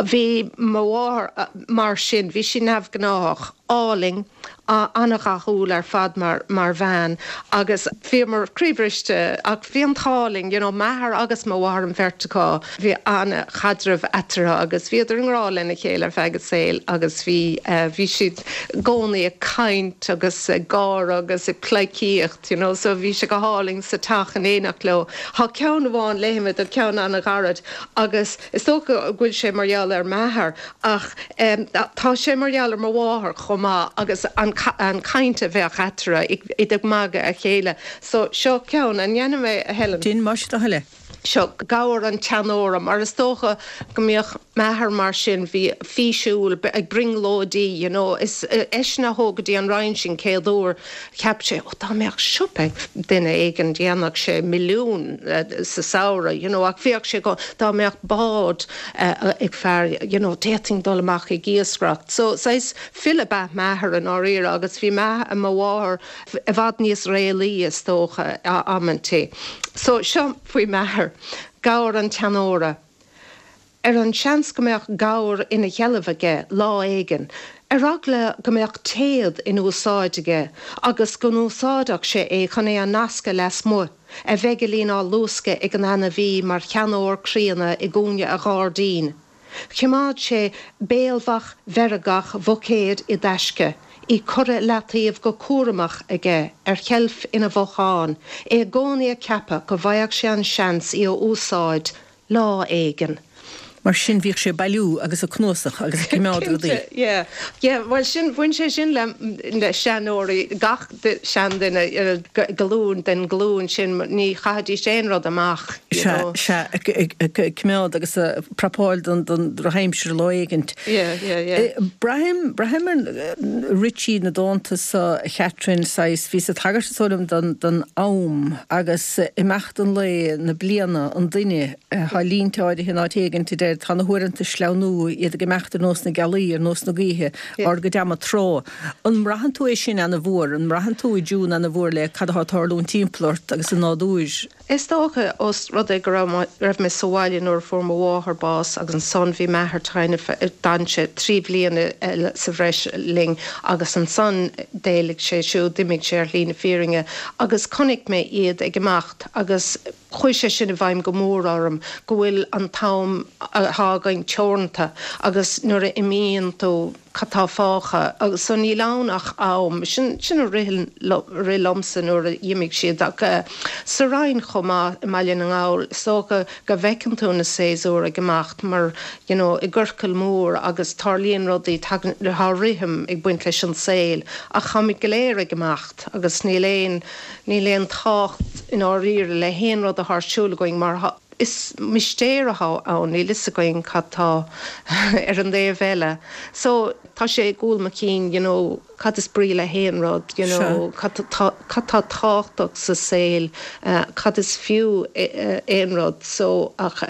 bhí mo mháthair mar sin, bhí sí neamhghnáthach, álainn. an-dhathúil ar fad mar mar bhean agus bhíomar croíbhriste ach bhí an t-ádh linn, you know, m'athair agus mo mháthair an bheirt acu, bhí an-chaidreamh eatarthu agus bhíodar i ngrá lena chéile ar feadh a saoil agus bhí bhí siad i gcónaí ag caint agus ag gáire agus ag pleidhcíocht, you know, so bhí sé go hálainn sa teach in éineacht leo. Tá ceann amháin, léifidh mé duit ceann an-ghairid agus is dócha go bhfuil sé mar gheall ar m'athair Ach tá sé mar gheall ar mo mháthair chomh maith agus an chaint a bheadh eatarthu, iad ag magadh a chéile. So, seo ceann, an ndéanfaidh mé, a Helen? Déan, más é do thoil é. Seo, Gabhar an tSeanóra, mar is dócha go mbíodh m'athair mar sin, bhí físiúil, ag brionglóidí, you know. Is eisean a thóg go dtí an Rinn sinn céad uair. Cheap sé, ó dá mbeadh siopa ag duine éigin dhéanfadh sé milliún sa samhradh, you know, ach bhíodh sé go, dá mbeadh bád ag fear, you know, d'fhéadfainn dul amach ag iascaireacht. So, saghas file ab ea m'athair i ndáiríre agus bhí mo mháthair i bhfad níos réalaí is dócha amantaí. So, seo faoi m'athair, Gabhar an tSeanóra. Ar an seans go mbeadh gabhar ina sheilbh aige lá éigin, ar eagla go mbeadh téad in úsáid aige agus go n-úsáidfeadh sé é chun é a nascadh lasmuigh, a mheigilín á luascadh ag an ainmhí mar sheanóir críonna i gcúinne a ghairdín. Choimeád sé béalbhach mheirgeach bhuicéid i dtaisce, í curtha i leataobh go cúramach aige ar sheilf ina bhothán, é i gcónaí ag ceapadh go bhfaigheadh sé an seans í a úsáid lá éigin. Mar sin bhíodh sé ag bailiú agus ag cnuasach agus ag coimeád rudaí. Cinnte, yeah. Yeah, bhuel sin, bhain sé sin le le seanóirí, gach seanduine, glúin den ghlúin sin, ní chaithfidís aon rud amach, you Sea, know. sea, ag coimeád agus ag prapáil don don drochaimsir lá éigint. Yeah, yeah, yeah. Braithim, braithim ar rith siad na dánta so, a Chatherine, saghas, bhíos ag tagairt is dóigh liom don don am agus imeacht an lae, na bliana, an duine, Tá línte áirithe in áit éigint a deir, 'Tá na huaireanta ag sleamhnú, iad ag imeacht ar nós na gealaí, ar nós na gaoithe, ár gcuid ama tráth. An mbraitheann tú é sin ana-mhór? An mbraitheann tú i dtiún ana-mhór le cad atá ag tarlúint timpeall ort agus an nádúr? Is dócha, ós rud é go raibh mé sa bhaile nuair a fuair mo mháthair bás agus ansan bhí m'athair tinn, d'fhan sé 3 bhliana eile sa bhreis linn agus ansan d'éalaigh sé siúd, d'imigh sé ar shlí na fírinne agus chonaic mé iad ag imeacht agus Chuaigh sé sin i bhfeidhm go mór orm, go bhfuil an t-am atá againn teoranta agus nuair a imíonn tú, cad tá fágtha? Agus so níl ann ach am. Sin, sin a rith rith liomsa nuair a d'imigh siad. Ach sa Rinn chomh maith, i mBaile na nGall, is dócha go bhfeiceann tú na séasúir ag imeacht mar, you know, i gciorcal mór agus tarlaíonn rudaí, tagann, tá rithim ag baint leis an saol ach táimid go léir ag imeacht agus níl aon, Níl aon tábhacht i ndáiríre le haon rud atá ar siúl againn mar is mistéir atá ann, níl fhios againn cad tá ar an dtaobh eile. So tá sé i gcúl mo chinn, you know, cad is brí le haon rud, you know, cad tá cad tá tábhachtach sa saol, cad is fiú aon rud. So ach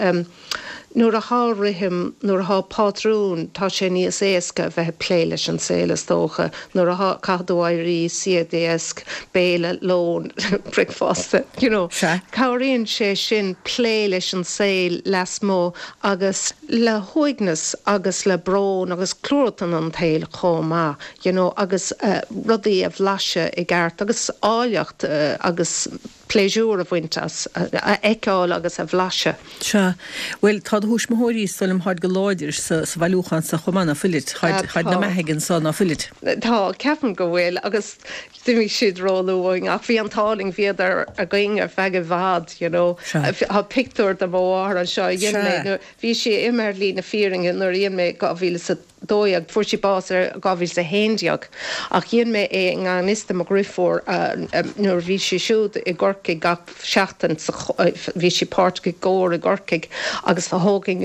Nuair athá rithim, nuair athá pátrún, tá sé níos éasca a bheith ag plé leis an saol is dócha. Nuair athá, caithfidh tú éirí, suí ag deasc, béile, lón, bricfeasta, you know. Sea. Cabhraíonn sé sin plé leis an saol lasmuigh agus le huaigneas agus le brón agus cruatan an tsaoil chomh maith, you know, agus rudaí a bhlaiseadh i gceart agus áilleacht agus. pléisiúr a bhaint as, a fheiceáil agus a bhlaiseadh. Sea. Bhuel, tá do thuismitheoirí, is dóigh liom, táid go láidir sa bhailiúchán so chomh maith, ná fuilid? Táid 'na mbeathaigh anso, ná fuilid? Tá, ceapaim go bhfuil, agus d'imigh siad róluath uainn, ach bhí an t-ádh linn, bhíodar againn ar feadh i bhfad, you know. Tá pictiúr de mo mháthair anseo a dhein mé nuair, bhí sí imithe ar shlí na fírinne nuair a dhein mé 2012. Fuair sí bás i 2011 ach dhein mé é i ngan fhios do mo dhriofúr nuair a bhí sí siúd i gCorcaigh gach seachtain sa bhí sí páirteach i gcór i gCorcaigh agus thógainn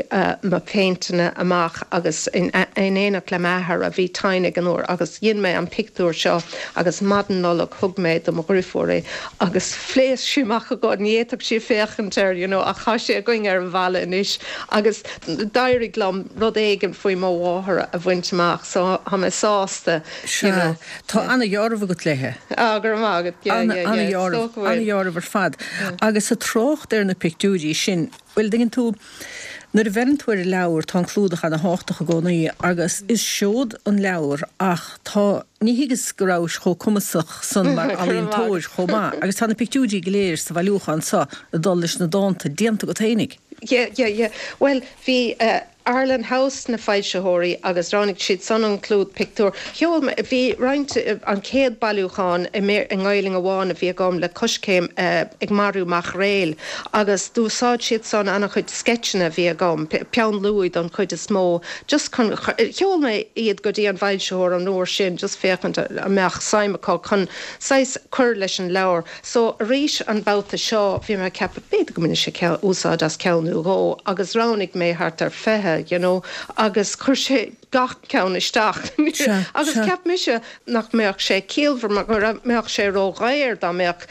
mo phéinteanna amach agus in éineacht le m'athair a bhí tinn ag an uair agus dhein mé an pictiúr seo agus maidin Nollag thug mé do mo dhriofúr é agus phléasc sí amach ag gáire ní fhéadfadh sí féachaint air you know ach tá sé againn ar an bhalla anois agus d'éirigh liom rud éigin faoi mo mháthair a bhaint amach so tá mé sásta you Sea, know. tá ana-dheáramh agat léithe. Ah, go raibh maith agat, yeah, yeah, yeah, is Ana-dheáramh, dócha go bhfuil. ana-dheáramh ar fad. Agus ag trácht ar na pictiúirí sin, bhuel, dtuigeann tú, nuair a bheireann tú ar an leabhar, tá an clúdach ana-thábhachtach i gcónaí agus is seod an leabhar ach tá, ní thuigeas go rabhais chomh cumasach san mar Go raibh maith ealaíontóir agat. chomh maith agus tá na pictiúirí go léir sa bhailiúchán so ag dul leis na dánta déanta agat fhéinig. Yeah, yeah, yeah. Bhuel, bhí eh Arlen House na foilsitheoirí agus roghnaigh siad san an clúdach pictiúr. Sheol mé, bhí roinnt, an chéad bailiúchán i mBéar, i nGaelainn amháin a bhí agam le Coiscéim eh Ag Marú Maicréil agus d'úsáid siad san an-chuid sceitseanna a bhí agam, peann luaidhe don chuid is mó, just chun, sheol mé iad go dtí an bhfoilsitheoir an uair sin just féachaint an mbeadh suim acu chun saghas cur leis an leabhar. So, arís an babhta seo, bhí mé ag ceapadh, b'fhéidir go mbainfidh sé úsáid as ceann nó dhó, agus roghnaigh mé thart ar 20, you know, agus chuir sé gach ceann isteach. Sea, Agus sea. cheap mise nach mbeadh sé ciallmhar mar go mbeadh sé ródhaor dá mbeadh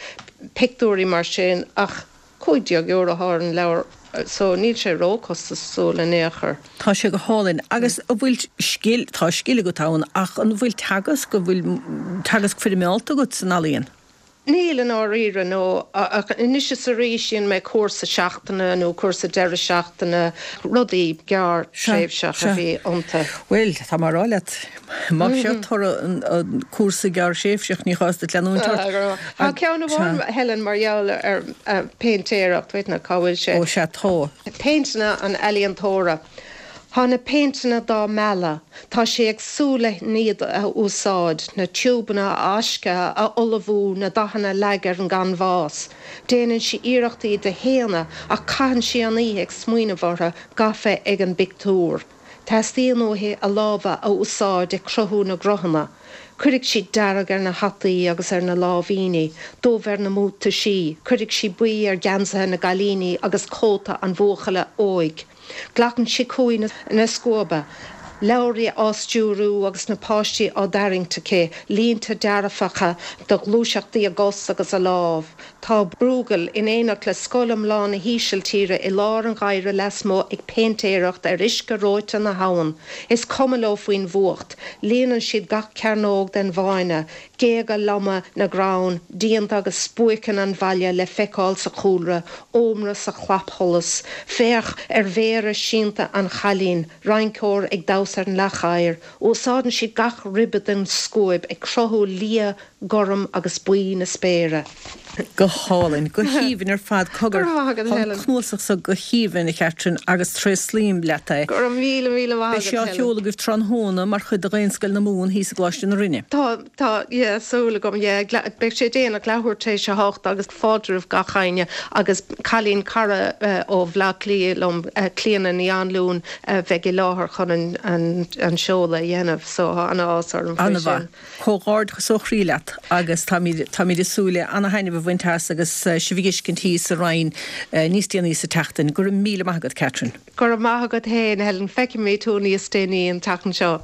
pictiúirí mar sin, ach €15 atá ar an leabhar, so níl sé róchostasúil in aon chor. Tá sé go hálainn. Agus an bhfuil scil, tá scil agat ann, ach an bhfuil teagasc, an bhfuil teagasc foirmeálta agat san ealaíon? Níl, i ndáiríre, no. Ach anois is arís dhéan mé cúrsa seachtaine nó cúrsa deireadh seachtaine, rudaí gearr Sea, tréimhseach a sea. bhí iontu. Bhuel, tá mé a rá leat, má seo toradh an cúrsa gearrthréimhseach, ní gá duit leanúint ort. Tá ceann amháin, Helen, mar gheall ar péintéireacht, wait now, cá bhfuil sé? Ó sea, tá. Péinteanna an ealaíontóra. Tá na péinteanna dá mealladh. Tá sí ag súil le iad a úsáid, na tiúbanna a fháisceadh, a ullmhú, na dathanna a leagadh ar an gcanbhás. Déanann sí iarracht iad a shéanadh ach caitheann sí an oíche ag smaoineamh orthu, gafa ag an bpictiúr. Teastaíonn uaithi a lámha a úsáid ag cruthú na gcruthanna. Cuirfidh sí dearg ar na hataí agus ar na láimhíní, dubh ar na mbuataisí, cuirfidh sí buí ar gheansaithe na gcailíní agus cóta an bhuachalla óig. Glacann sí cumhaidh na scuaibe, Lowry á stiúrú agus na páistí á dtarraingt aici, línte dearfacha de ghluaiseachtaí a gcos agus a lámh. Tá Bruegel, in éineacht le scoil iomlán na hÍsiltíre, i lár an gheimhridh lasmuigh ag péintéireacht ar uisce reoite na habhann. Is cuma leo faoin bhfuacht. Líonann siad gach cearnóg den bhfáinne, Géaga loma na gcrann, díonta agus spuaiceanna an bhaile le feiceáil sa chúlra, ómra sa chlapsholas. Féach ar mhéara sínte an chailín, rinceoir ag damhsa ar an leac oighir. Úsáideann siad gach ribe den scuaib ag cruthú liath, gorm agus buí na spéire. Go hálainn. Go haoibhinn ar fad. Cogar, Go raibh maith agat, tá an Helen. cnuasach so go haoibhinn, a Chatherine, agus tréaslaím leat é. Go raibh míle, míle maith Beidh sé agat, á Helen. sheoladh agaibh tráthnóna mar chuid de Dhaonscoil na Mumhan thíos i gColáiste na Rinne. Tá, tá, yeah, súil agam, yeah. Beidh sé déanach, leathuair tar éis a hocht agus fáilte roimh gach éinne agus cailín, cara ó Bhleá Cliath liom, Clíona Ní Anluain, a bheidh i láthair chun an, an, an seoladh a dhéanamh so tá an-áthas orm faoi An-mhaith. sin. Comhghairdeachas ó chroí leat agus táimid, táimid ag súil le ana-thaitneamh a bhaint as agus sibh a dh'fheiscint thíos sa Rinn níos déanaí sa tseachtain. Go raibh míle maith agat, Catherine. Go raibh maith agat fhéin, Helen. Feicfimid thú níos déanaí an tseachtain seo.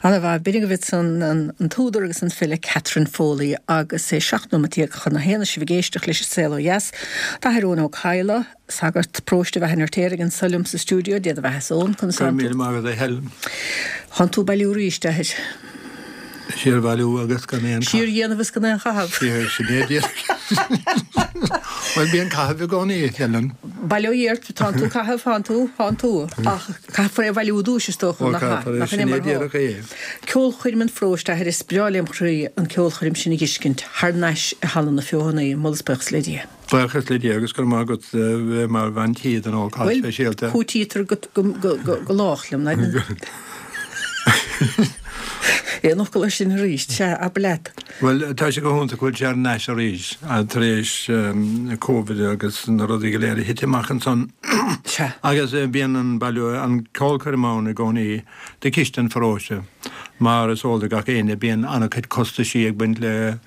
Ana-mhaith. B'in agaibh ansan an t-údar agus an file Catherine Foley agus é 17 nóimeat chun a haon is sibh ag éisteacht leis an Saol Ó Dheas. Tá an tAthair Eoin Ó Cadhla, Sagart paróiste Bheatha an Fheirtéaraigh anso liom sa stiúideo, Dé do bheatha-sa Eoin, conas Go tánn raibh tú? míle maith agat a Helen. Thánn tú ag bailiú arís, a Athair. Siar bhailiú agus gan aon Siar dhéanamh is gan aon chaitheamh. Siar, sin é díreach. Bhuel, bíonn caitheamh i gcónaí, a Helen. Bail ó Dhia ort, tánn tú ag caitheamh, thánn tú, thánn tú. Ach caithfear é a bhailiú i dtúis, is dócha, Ó, nach ea? caithfear é, Nach in sin é é mar atá? díreach é. Ceolchoirm an pharóiste, a Athair, is breá lem chroí an ceolchoirm sin a dh'fheiscint thar n-ais i Halla na Feothanaí, moladh is buíochas le Dia. Buíochas le Dia agus go raibh maith agat bheith mar bhean tí don ócáid Bhuel, speisialta. cúitítear go lách liom, ná Aon fhocal air sin arís, sea, abair leat. Bhuel, tá sé go hiontach go bhfuil sé thar n-ais arís tar éis Covid agus na rudaí go léir a thit amach ansan. Sea. Agus bíonn an bailiú, an ceolchoirm ann i gcónaí do chiste an pharóiste. Mar is eol do gach éinne, bíonn an-chuid costaisí ag baint le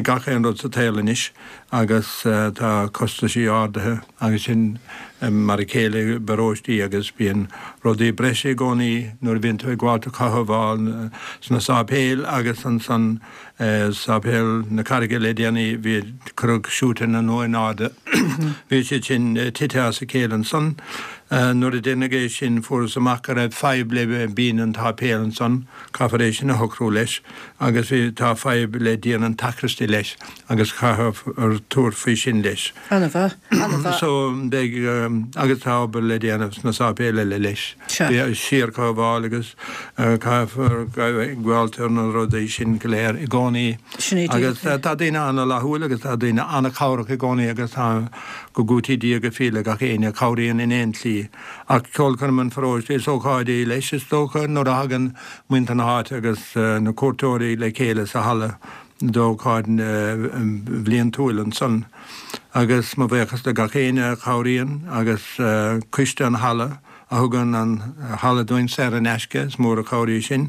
gach aon rud sa tsaol anois. agus tá costaisí ardaithe agus sin mar a chéile i bparóistí agus bíonn rudaí breise i gcónaí nuair a bhíonn tú ag gabháilt a chothabháil sna sáipéil agus ansan sáipéal na Carraige le déanaí bhí cuireadh siúiteanna nua in airde bhí siad sin tite as a chéile ansan nuair a deineadh é sin fuarthas amach go raibh fadhb le binn an tsáipéil ansan caithfear é sin a shocrú leis agus bhí tá fadhb le díon an tsacraistí leis. agus caithfear tabhairt faoi sin leis. An-mhaith, an-mhaith. So, beidh, agus tá obair le déanamh sna sáipéil eile leis. Sea. Síorchothabháil agus caithfear gabháilt ar na rudaí sin go léir i gcónaí. Sin é Agus díreach é. tá daoine an-fhlaithiúil agus tá daoine an-chabhrach i gcónaí agus tá, go gcúití Dia go fial le gach éinne a chabhraíonn in aon tslí. Ach ceolchoirm an pharóiste, is ócáid í leis is dócha nuair a thagann muintir na háite agus na cuairteoirí le chéile sa halla. d'ócáid bhliantúil ansan agus mo bhuíochas le gach éinne a chabhraíonn agus coiste an halla a thugann an halla dúinn saor in aisce, is mór an chabhair í sin.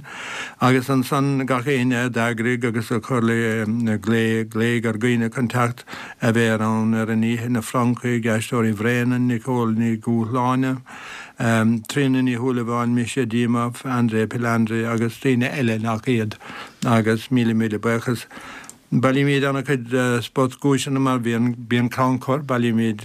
Agus ansan gach éinne a d'eagraigh agus a chuir le glaoigh, glaoigh ar dhaoine chun teacht a bheith ann ar an oíche, na Francaigh, Aisteoirí Bhréanainn, Nicole Ní Dhúshláine, Tríona Ní Shúilleabháin, Misha Dimov, André Pilandri agus daoine eile nach iad agus míle míle buíochas. Bailímid an-chuid spotdhuaiseanna mar bhíonn bíonn crannchur, bailímid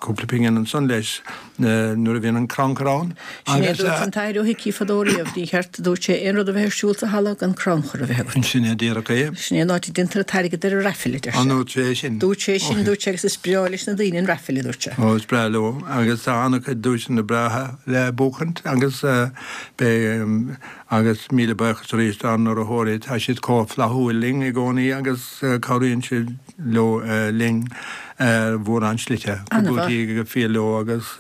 cúpla pingin ansan leis nuair a bhíonn an crannchur ann Sin é a agus. dúirt an tAthair Ó hIcí fadó riamh, ní cheart, a dúirt sé, aon rud a bheith ar siúl sa halla gan crannchur a bheith agat. Sin é díreach é. Sin é an áit a deintear an t-airgead ar an raffle, a deir sé. An ndúirt sé é sin? Dúirt sé sin, dúirt sé, agus is breá leis na daoine an raffle, a dúirt sé. Ó, is breá leo agus tá an-chuid duaiseanna breátha le buachaint agus beidh agus míle buíochas arís dár n-urraitheoirí, tá siad chomh flaithiúil linn i gcónaí agus cabhraíonn siad leo linn ar mhórán slite. Go An-mhaith. gcúití go fial leo agus.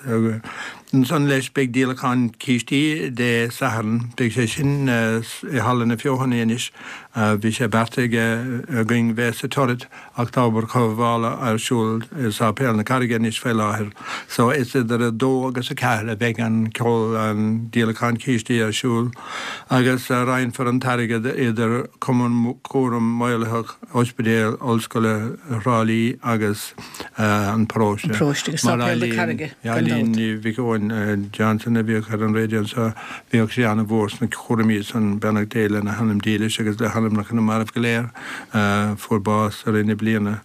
Ansan leis beidh díolachán cístí Dé Sathairn. Beidh sé sin i Halla na Feothanaí anois. Bhí sé beartaithe againn bheith sa Turret ach tá obair chothabhála ar siúl i Sáipéal na Carraige anois faoi láthair. So is idir 2 agus 4 a bheidh an ceol, an díolachán cístí ar siúl agus roinnfear an t-airgead idir Cumann Cúram Maolaitheach Ospidéal Ollscoile Thrá Lí agus an paróiste. An paróiste agus Sáipéal na Carraige, gan dabht. Eileen Ní Mhic Eoin Johnson a bhíodh ar an raidió anseo, bhíodh sí an-mhór sna cúraimí san, beannacht Dé lena hanam dílis agus le hanamnacha na marbh go léir a fuair bás i rith na bliana.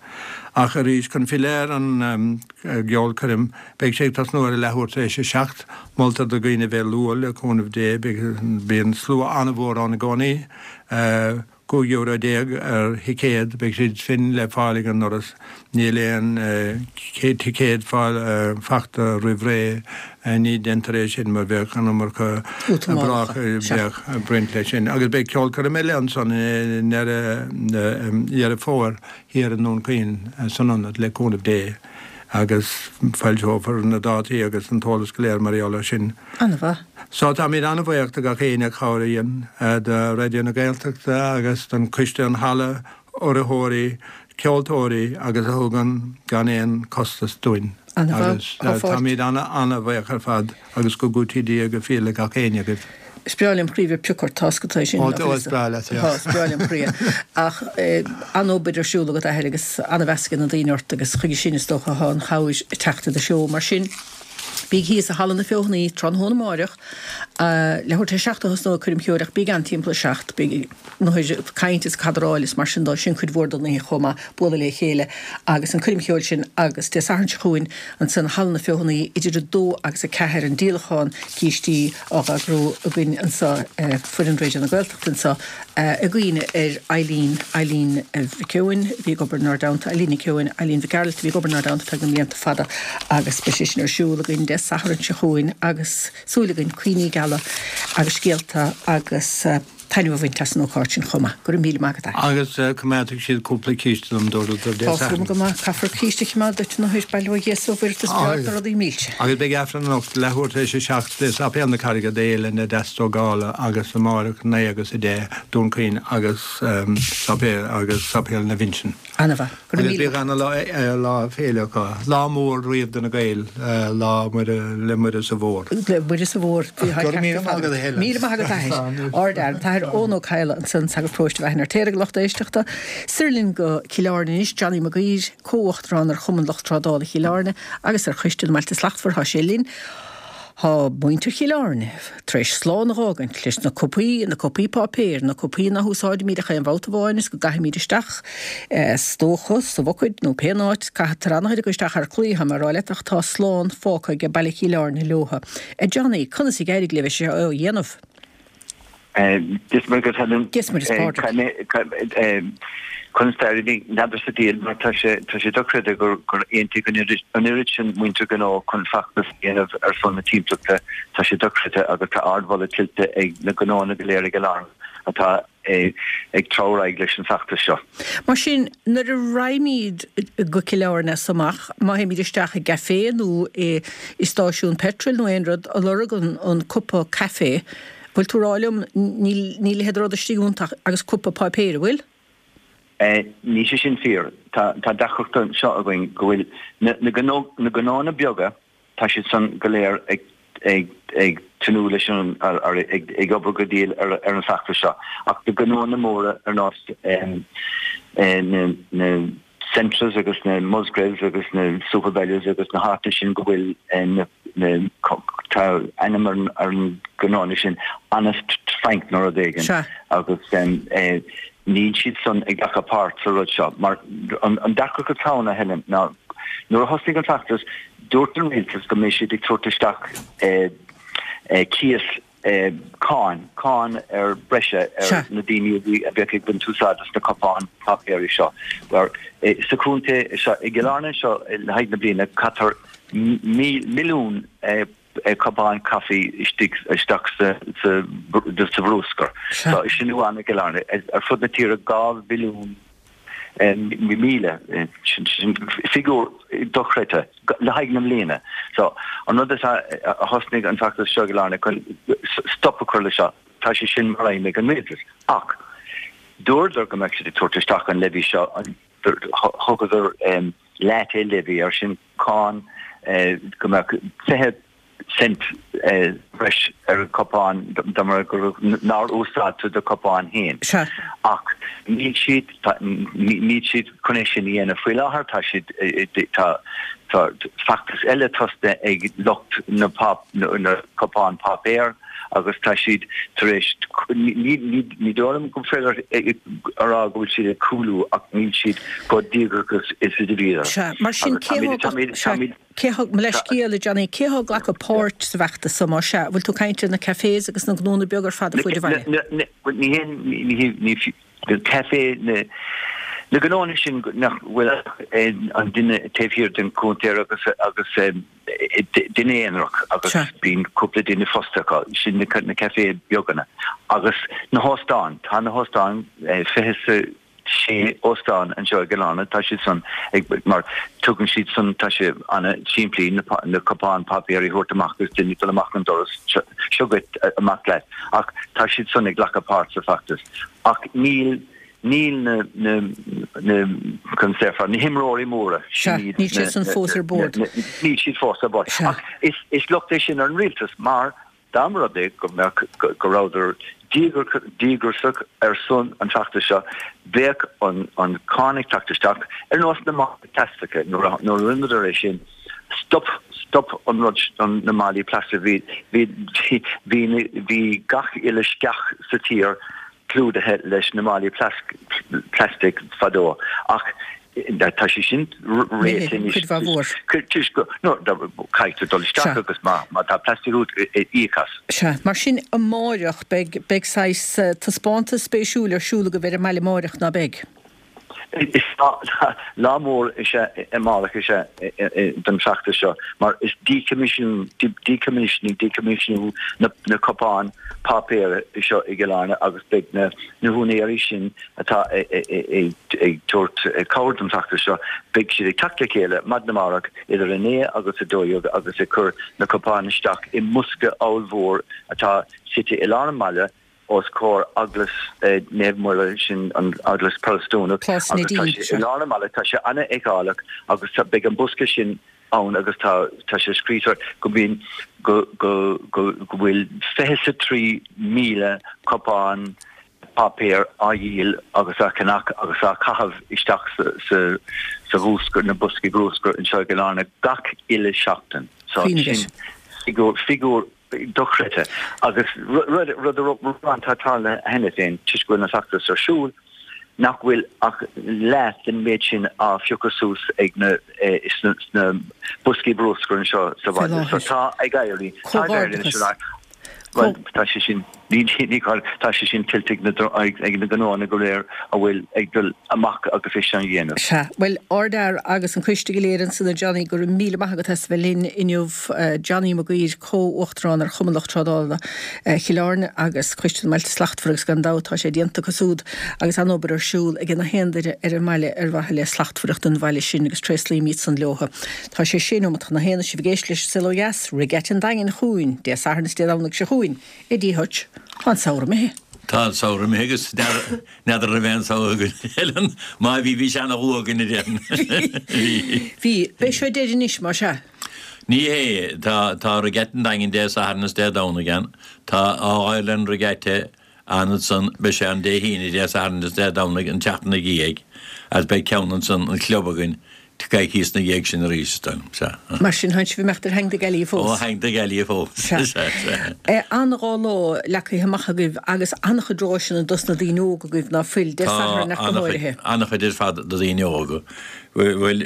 Ach arís, chun filleadh ar an gceolchoirm, beidh sé ag tosnú ar a leathuair tar éis a seacht. Moltar do dhaoine a bheith luath, le cúnamh Dé. Bíonn slua an-mhór ann i gcónaí. €15 euro ar thicéad, beidh siad sin le fáil ag an ndoras. Níl aon ticéad fachta roimh ré, ní déantar é sin mar bheadh an iomarca brách bheadh ag baint leis sin. Agus beidh ceolchoirm eile ansan i ndeireadh Fómhair thiar i nDún Chaoin san Ionad le cúnamh Dé agus foilseofar na dátaí agus an t-eolas go léir mar gheall air sin. An-mhaith. So táimid an-bhuíoch do gach éinne a chabhraíonn, do Raidió na Gaeltachta agus don Coiste an Halla, urraitheoirí, ceoltóirí agus a thugann gan aon costas dúinn. An-mhaith. Agus táimid an-an-bhuíoch ar fad agus go gcúití Dia go fial le gach éinne agaibh. Is breá lem chroí bheith pioc ort, tá 's agat é sin. Ó, is breá leat, yeah. Tá, is breá lem chroí é. Ach an-obair ar siúl agat, a Athair, agus an-mheas ag na daoine ort agus chuige sin is dócha atá an chabhair ag teacht i do threo. Mar sin, Bíg thíos i Halla na Feothanaí tráthnóna amáireach, leathuair tar éis 7 a thosnóidh coirm cheoil ach bíg ann timpeall 7, beidh an caint is cadráil is mar sin dó, sin cuid mhór den oíche chomh maith, bualadh le chéile agus an coirm cheoil sin agus Dé Sathairn seo chugainn ansan i Halla na Feothanaí idir 2 agus 4 an díolachán cístí á eagrú againn anseo, foireann Raidió na Gaeltachta anseo. I gcuimhne ar Eileen, Eileen Mhic Eoin, a bhí ag obair inár dteannta, Eileen Nic Eoin, Eileen Mhic Gearailt, a bhí ag obair inár dteannta feadh na mblianta fada agus beidh sé sin ar siúl againn Dé Sathairn seo chugainn agus súil againn cuimhní geala agus scéalta agus taitneamh a bhaint as an ócáid sin chomh maith. Go raibh míle maith agat, a. Agus coimeádfaidh siad cúpla císte dom, dúradar Dé Sathairn. Tá go maith, caithfear císte a choimeád duit ina thoir, bail ó Dhia is ó Mhuire ort, is breá leat na rudaí milse. Agus beidh Aifreann anocht, leathuair tar éis a 7, i Sáipéal na Carraige d'Fhéile na Deastógála agus amárach 9 agus 10, Dún Chaoin agus Sáipéal agus Sáipéal na bhFinsean. Ana-mhaith. Go raibh míle maith. Agus bíodh ana-lá féile acu. Lá mór riamh do na Gaeil, Lá Muire, le Muire sa Mhór. Le Muire sa Mhór. Go raibh míle maith agat a Helen. Míle maith agat a athair. Ardfhear. An tAthair Eoin Ó Cadhla ansan, sagart paróiste Mhaigh an Fheirtéaraigh, lucht éisteachta. Soir linn go Cill Airne anois, Johnny Mac Uidhir, Comh-Uachtarán ar Chumann Lucht Trádála Chill Airne agus ar Choiste na mBailte Slachtmhar thá sé linn. Thá muintir Chill Airne tar éis slán a dh'fhágaint leis na cupaí, na cupaí páipéir, na cupaí ná húsáidimíd ach aon bhabhta amháin is go gcaithfimíd isteach, is dócha, sa bhucaeid nó pé áit, caithfear an-chuid acu isteach thar claí, thá mé a rá leat, ach tá slán fágtha age baile Chill Airne leotha. A Johnny, conas a d'éirigh libh é seo a dhéanamh? Dia is Muire dhuit Helen. Dia is Muire is Pádraig. Conas d'éirigh? N'fheadar sa diabhal mar tá sé tá sé dochreidte gur gur aontaigh an oiread an oiread sin muintir gnó chun feachtas a dhéanamh ar son na timpeallachta. Tá sé dochreidte agus tá ardmholadh tuillte ag na gnóanna go léir i gCill Airne atá ag treabhadh ar aghaidh leis an bhfeachtas seo. Mar sin, nuair a raghaimíd go Cill Airne as amach, má théimíd isteach i gcaifé nó i stáisiún peitril nó aon rud, a lorg an cupa caife, Bhfuil tú ag rá liom, níl, níl a leithéid de rud istigh iontu agus cupa páipéir, an bhfuil? Níl sé sin fíor. Tá, tá deacracht anseo againn go bhfuil na, na gnó, na gnóanna beaga, tá siad san go léir ag, ag, ag tnúth leis an, ar, ar, ag, ag obair go diail ar, ar an bhfeachtas seo. Ach na gnóanna móra ar nós na, na Centras agus na Musgraves agus na Supervalus agus na háiteanna sin go bhfuil na, na, tá ainm ar ar an gnóanna sin, Honest Frank nó rud éigin Sea. agus níl siad san ag glacadh páirt sa rud seo mar an an deacracht atá ann a Helen ná nuair a thosnaigh an feachtas dúirt an rialtas go mbeidh siad ag tabhairt isteach cíos cáin, cáin ar breise ar na daoine a bhí, a bheadh ag baint úsáid as na cupáin páipéir seo. Mar sa chontae seo, i gCill Airne seo le haghaidh na bliana, caitear milliún cupán caife istigh, isteach sa, sa, sa bhrúscar. So, sin amháin i gCill Airne. Ar fud na tíre, 2 mhilliún. 10,000, sin figiúr dochreidte le haghaidh na mbliana. So, an rud atá, a thosnaigh an feachtas seo i gCill Airne chun stop a chur le seo, tá sé sin mar aidhm ag an rialtas. Ach dúradar go mbeadh siad ag tabhairt isteach an levy seo, thugadar latte levy air sin, cáin go mbeadh 20 cent breis ar an cupán dá mba nár úsáid tú do cupán féin. Sea. Ach níl siad, níl siad chun é sin a dhéanamh faoi láthair. Tá siad, tá, tá feachtas eile tosaithe ag lucht na na cupán páipéir agus tá siad tar éis, ní, ní, ní dóigh liom go féidir a rá go bhfuil siad ag cúlú ach níl siad chomh díograiseach is a bhíodar. Sea. Mar sin Agus cé táimid, thá, táimid, sea. táimid. Cé thá, mo leithscéal, a Johnny, cé thá ag glacadh páirt sa bhfeachtas so, más ea? Bhfuil tú ag caint ar na cafés agus na gnónna beaga ar fad ar fuaid an bhaile? Ní haon, ní hé, café, na, na gnónna sin nach bhfuil ach an duine taobh thiar den chuntar agus, agus duine aonarach agus bíonn cúpla duine fostaithe acu, sin na café beaga agus na hóstáin, tá na hóstáin 20 6 óstán anseo i gCill Airne, tá siad san ag, mar tugann siad san, tá sé ana-simplí na, na cupáin páipéir a thabhairt amach agus duine ag dul amach an doras, seo, seo dhuit, amach leat. Ach tá siad san ag glacadh páirt sa bhfeachtas. Ach níl, níl na, na, na, conas déarfá, na himreoirí móra, Sea, sin iad níl na, siad san na, fós na, ar bord. na, níl siad fós ar bord. Sea. Ach is, is locht é sin ar an rialtas mar Dá mba rud é go mbeadh, go rabhadar díograiseach ar son an feachtais seo, bheadh an cáin ag teacht isteach, ar nós na málaí plaisteacha. Nuair a rinneadar é sin, stop, stop an rud, na málaí plaisteacha. Bhí, bhí, bhí, bhí gach uile sceach sa tír clúdaithe leis na málaí plaistigh fadó, ach tá sé sin réitithe anois. Cuid mhaith mhór. Toisc go, no, caithfidh tú dul isteach agus má tá plastic agat, íoc as. Sea, mar sin amáireach beidh, beidh saghas taispeántas spéisiúil ar siúl agaibh ar an mbaile amáireach, ná beidh? Is lá mór is ea amárach is ea don feachtas seo mar is decommissioning, decommissioning na cupáin páipéir seo i gCill Airne agus beidh na húinéirí sin atá ag tabhairt cabhair don feachtas seo, beidh siad ag teacht le chéile maidin amárach idir 9 agus 12 agus ag cur na cupáin isteach i mbosca ollmhór atá suite i lár an bhaile os comhair Eaglais Naomh Muire, sin an Eaglais Protastúnach, Plás agus tá Neidín, sé i sea. lár an bhaile, tá sé an-fheiceálach agus tá, beidh an bosca sin ann agus tá, tá sé scríofa go mbíonn, go, go, go, go bhfuil 23,000 cupán páipéir á dhíol agus á cheannach agus á chaitheamh isteach sa, sa, sa bhruscar, na boscaí bruscair anseo i gCill Airne gach uile seachtain. So Cuimhnigh sin figiúr, figiúr dochreidte. Agus rud amháin atá tarlaithe cheana féin, toisc go bhfuil an feachtas ar siúl, nach bhfuil ach leath den méid sin á phiocadh suas ag na sna boscaí bruscair anseo sa bhaile. So tá ag éirí, tá ag éirí anois. Bhuel, tá sé sin, ní, ní, tá sé sin tuillte ag na, ag na gnóanna go léir a bhfuil ag dul amach agus é sin a dhéanamh. Sea. Bhuel, Ardfhear agus an coiste go léir ansan a Johnny, go raibh míle maith agat as a bheith linn inniu. Johnny Mac Uidhir, Comh-Uachtarán ar Chumann Lucht Trádála Chill Airne agus Coiste na mBailte Slachtmhara agus gan dabht tá sé déanta acu súd agus an-obair ar siúl ag na haon duine ar an mbaile ar mhaithe le slachtmhaireacht an bhaile sin agus tréaslaímid san leotha. Tá sé sé nóimeat chun a haon is sibh ag éisteacht leis an Saol Ó Dheas, Regatta an Daingin chugainn Dé Sathairn is Dé Domhnaigh seo chugainn i dTigh Hutch. Tá an samhradh imithe. Tá an samhradh imithe agus N'fheadar an raibh aon samhradh againn eile. Má bhí, bhí sé ana-dhubh againn a déarfainn. Bhí. Bhí. Beidh seo deireadh anois, más ea? Ní hé. Tá, tá Regatta an Daingin Dé Sathairn is Dé Domhnaigh ann. Tá All Ireland Regatta ann ansan, beidh sé ann Dé hAoine, Dé Sathairn is Dé Domhnaigh an tseachtain ina dhiaidh agus beidh ceann ansan, an club againn, coicíos ina dhiaidh sin arís, is dóigh liom. Sea. Mar sin, tánn sibh ag imeacht ar Hang the Galley fós? Ó, Hang the Galley fós. Sea. Sea, sea. An-dhá lá leagtha amach agaibh agus an-chuid ráiseanna dos na daoine óga agaibh, ná fuil, Dé Tá Sathairn ach go an-chuid, háirithe. an-chuid ar fad do dhaoine óga. Bhuel,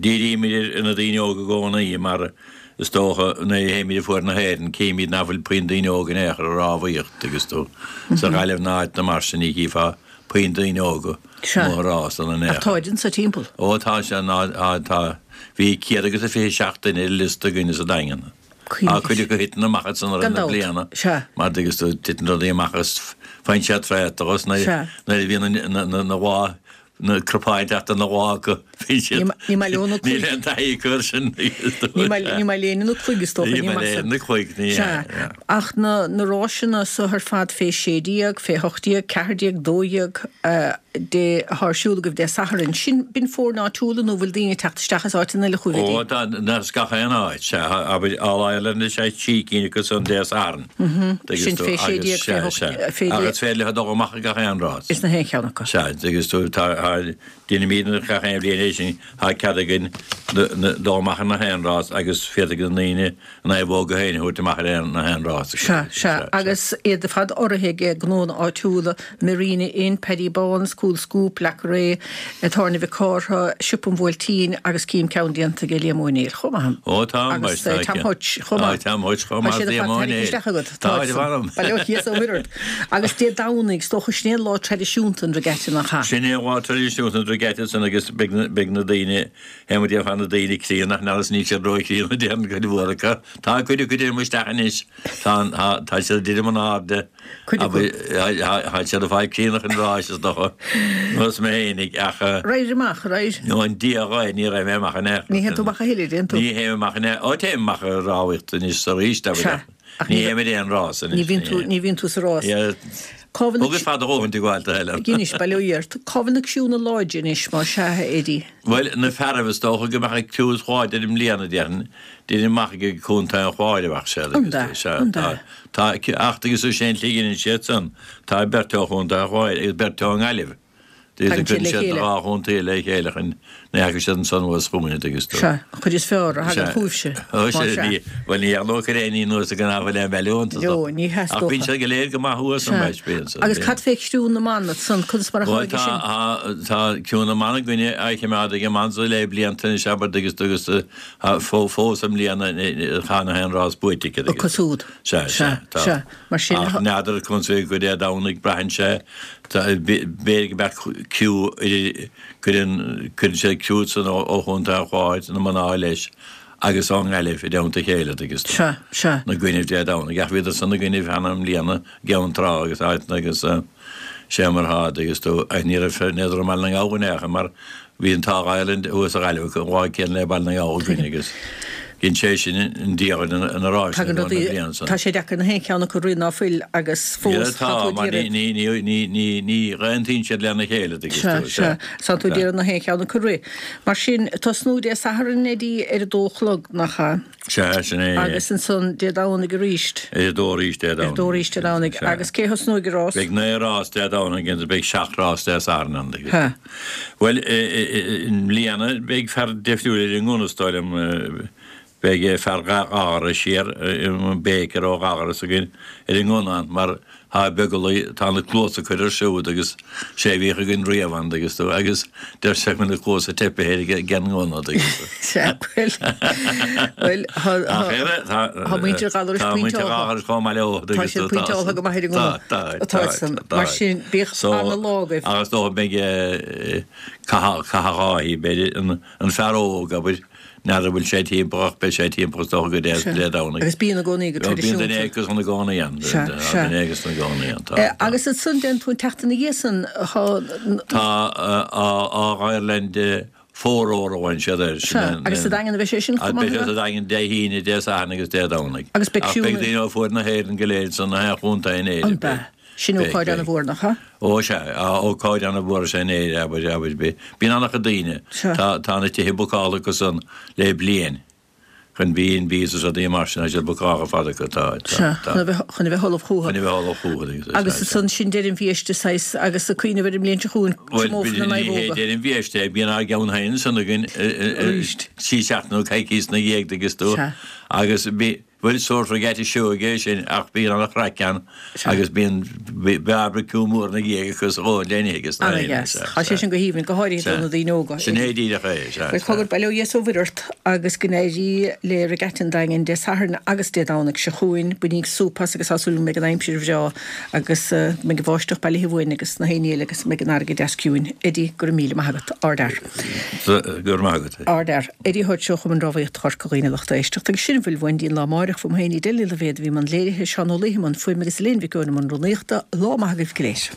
dírímid ar na daoine óga i gcónaí mar is dócha nuair a théimid ag fuar na hÉireann címid nach bhfuil puinn daoine óga in aon chor ag rámhaíocht agus tú sa Ghaillimh ná áiteanna mar sin ní chífeá puinn daoine óga Sea. amuigh ag rása in aon Ach chor. táid anso timpeall. Ó tá sé ná tá. Bhí 127 duine ar an liosta againne sa Daingean. Cuimhnigh. Tá cuid acu a thiteann amach ansan i rith Gan na dabht. bliana. Sea. Mar dtuigeann tú titeann rudaí amach agus faigheann siad traochta agus nuair Sea. nuair a bhíonn na na na dhá. Na cnapáin ag teacht ina lámha acu, bhí siad. Ní maith leo na cloig. Níl aon taithí acu air sin. Ní maith léin na cloig is dócha, ní maith. Ní maith léin na cloig, ní hea. Sea. Ach na ráiseanna so ar fad fé 16, fé 18, 14, 12, dé, atá ar siúl agaibh Dé Sathairn, sin, b'in foirne áitiúla nó bhfuil daoine ag teacht isteach as áiteanna eile chugaibh, Ó, tá, as gach aon áit, sea. Abair, All Ireland is ea trí cinn acu san Dé Sathairn. Sin fé 16, fé 8, fé. Ach is féidir leo dul amach ag gach aon rás. Is na haon cheann acu. Sea, agus tú, tá, déanaimid gach aon bhliain é sin, tá cead againn dul amach ar na haon rás agus féadfaidh na daoine a naomhóga féin a thabhairt amach ar na haon rás. Sea, sea, agus iad ar fad urraithe ag gnónna áitiúla, Marina Inn, Paddy Báns, Cool Scoop, Leac Ré, Tábhairne Mhic Cártha, Siopa an Bhuailtín agus cím ceann déanta ag Liam Ó Néill chomh maith. Ó tá, Agus Tom Hutch chomh maith. Tá Tom Hutch chomh maith, Liam Ó Néill. Tá siad ar fad tarraingthe isteach agat. Tá, Bail ó Dhia is ó Mhuire ort. Agus Dé Domhnaigh, is dócha, sin é an lá traidisiúnta an Regatta nach ea? Sin é an lá traidisiúnta an Regatta san agus beidh na daoine, théann muid ar na daoine críonna, ach níl siad ró-chríonna déarfainn cuid mhór acu. Tá cuid acu ag titim isteach anois, tá, tá siad ag titim in airde. Cuid acu. Tá siad ag fáil críonna chun ráis is dócha, nós mé fhéinig, ach. Raghair amach, raghair. Nó an Dia dhaoibh, ní raibh mé amach in aon chor. Ní théann tú amach a thuilleadh, dtéann tú? Ní théim amach in aon, ó téim amach ar rámhaíocht anois arís, Sea, ach ní théim ar aon rás anois. Ní bhíonn tú, ní bhíonn tú sa rás. Cá bhfuil na. Thugas fada dhóthain de ghabháil do Helen. Anois, bail ó Dhia ort. Cá bhfuil na criúnna láidre anois, más ea, a Eddie? Bhuel, na fearaibh, is dócha go mbeadh an criú is láidre i mbliana, déarfainn, déarfainn amach ag Contae an Chláir a bheadh siad. An ea? Sea, tá. Tá, ach agus is é an tslí a dheineann siad san, tá beirt ó Chontae an Chláir agus beirt ón nGaillimh. Tagann siad le chéile. Cuireann siad na dhá chontae le chéile chun ní fhaca siad ansan anuas chugainn, an dtuigeann tú. Sea, an chuid is fearr a thagann chugaibhse, más ea. Bhuel, ní dhearnadh aon ní anuas ag an am le an bhealach iontu. No, ní hea, is dócha. Ach bíonn siad go léir go maith thuas an mbeidh, bíonn siad. Agus cad fé chriú na mban ansan, conas mar a tháinig sin? Bhuel, tá, tá criú na mban againne á choimeád ag an mban le blianta anois, abair, agus, agus fós i mbliana tá na haon rás buaite aici. Acu siúd. Sea, sea, tá. Sea, mar sin. Ach n'fheadar conas a bheidh go Dé Domhnaigh, braitheann sé, b'fhéidir go mbeadh criú idir, cuireann, cuireann siad criú san ó Chontae an Chláir, na mná leis, agus ón nGaillimh i dteannta a chéile, agus Sea, sea. 'na gcoinnibh Dé Domhnaigh. Ach bhíodar san 'na gcoinnibh cheana i mbliana, i gCeann Trá agus áiteanna agus. Sé mar atá, agus tú, ach ní raibh ní raibh Baile na nGall in aon chor mar bhí an t-ádh Ireland thuas sa Ghaillimh acu an lá céanna le Baile na nGall againn agus dhein sé sin an diabhal ina ráis Tagann rudaí, tá sé deacair na haon cheann acu rith ná fuil agus fós tá tú ag iarraidh. Ní, ní, ní, ní, ní aontaíonn siad lena chéile, tuigeann tú, sea. Sea, sea, tá tú ag iarraidh na haon cheann acu rith. Mar sin, tosnú Dé Sathairn, Eddie, ar a dó a chlog, nach ea? Sea, sin é. Agus ansan Dé Domhnaigh arís. Ar a dó arís Dé Domhnaigh. Ar a dó arís Dé Domhnaigh. Agus cé thosnóidh an rás? Beidh 9 rás Dé Domhnaigh agus beidh 7 rás Dé Sathairn ann. Ha. Bhuel, i mbliana beidh fear difriúil ar an ngunna is dóigh liom. Beidh fear Ghallarais siar, Baker ó Ghallaras againn ar an ngunna ann mar Tá beaglaí, tá na cluasa curtha air siúd agus sé a bhíodh againn riamh ann agus tú, agus deir sé go bhfuil na cluasa teipthe air ag an ngunna agus. Sea, bhuel, bhuel, tá, tá muintir Ghallarais pointeáltha. Tá muintir Ghallarais chomh maith leo. Tá siad pointeáltha go maith ar an ngunna. Tá, tá, tá. Mar sin, bíodh ana-lá agaibh. Agus dócha beidh Cathal Dháithí, b'fhéidir, an fear óg, abair, N'fheadar an bhfuil sé timpeall ach beidh sé timpeall is dócha go Dé Dé Domhnaigh. Agus bíonn i gcónaí go traidisiúnta. Bíonn duine éigin ina gcónaí ann. Sea, sea. Duine éigin ina gcónaí ann, tá, tá. Agus ansan déan tú an tseachtain ina dhiaidh san, tá. Tá All Ireland Four-rower a bhain siad air. Sea, agus sa Daingean a bheidh sé sin chomh maith? Beidh sé sa Daingean Dé hAoine, Dé Sathairn agus Dé Domhnaigh. Agus beidh Ach beidh daoine ó fuaid na hÉireann go léir san na haon chontae in Éirinn. An beidh? Sin ócáid ana-mhór, nach ea? Ó, sea, ócáid ana-mhór is ea in Éirinn, abair, abair. Bíonn an-chuid daoine. Sea. Tá, tá na tithe bookáilte acu san le bliain chun B&Bs is rudaí mar sin, tá siad bookáilte ar fad acu, tá, tá, Sea, tá. chun a bheith, chun a bheith ullamh chucu. Chun a bheith ullamh chucu, agus, Agus sea, ansan sin deireadh an bhiaiste, saghas, agus ag cuimhneamh ar an mbliain seo chugainn, Bhuel, tiomófar na ní hé naomhóga. deireadh an bhiaiste é, bíonn ár gceann féin ansan againn, Arís. trí seachtaine nó coicíos ina dhiaidh, dtuigeann tú. Sea. Agus bí, Bhuel, sórt regatta seoigh é sin ach bíonn an-chraic ann agus bíonn barbecue mór ina dhiaidh acu sa dhóigh le n-ithe agus na Ana-dheas. Tá sé sin go haoibhinn, go háirithe do na daoine óga. Sin é díreach é, sea. Bhuel, cogar, bail ó Dhia is ó Mhuire ort agus go n-éirí le Regatta an Daingin Dé Sathairn agus Dé Domhnaigh seo chugainn. Bainíg súp as agus tá súil go mbeidh an aimsir bhreá agus go mbeidh an bháisteach bailithe uainn agus na haon ní eile agus go mbeidh an fharraige deas ciúin. Eddie, go raibh míle maith agat. Ardfhear. Go raibh maith agat. Ardfhear. Eddie Hutch ó Chumann Rámhaíochta Chorca Dhuibhne a lucht éisteachta agus sin a bhfuil uainn go dtí an lá amáireach. Uaim féin Edel Ní Loibhéad a bhí i mbun léirithe, Seán Ó Laoithe i mbun fuaime agus Elaine Mhic Eoin i mbun rúnaíochta. Lá maith agaibh go léir.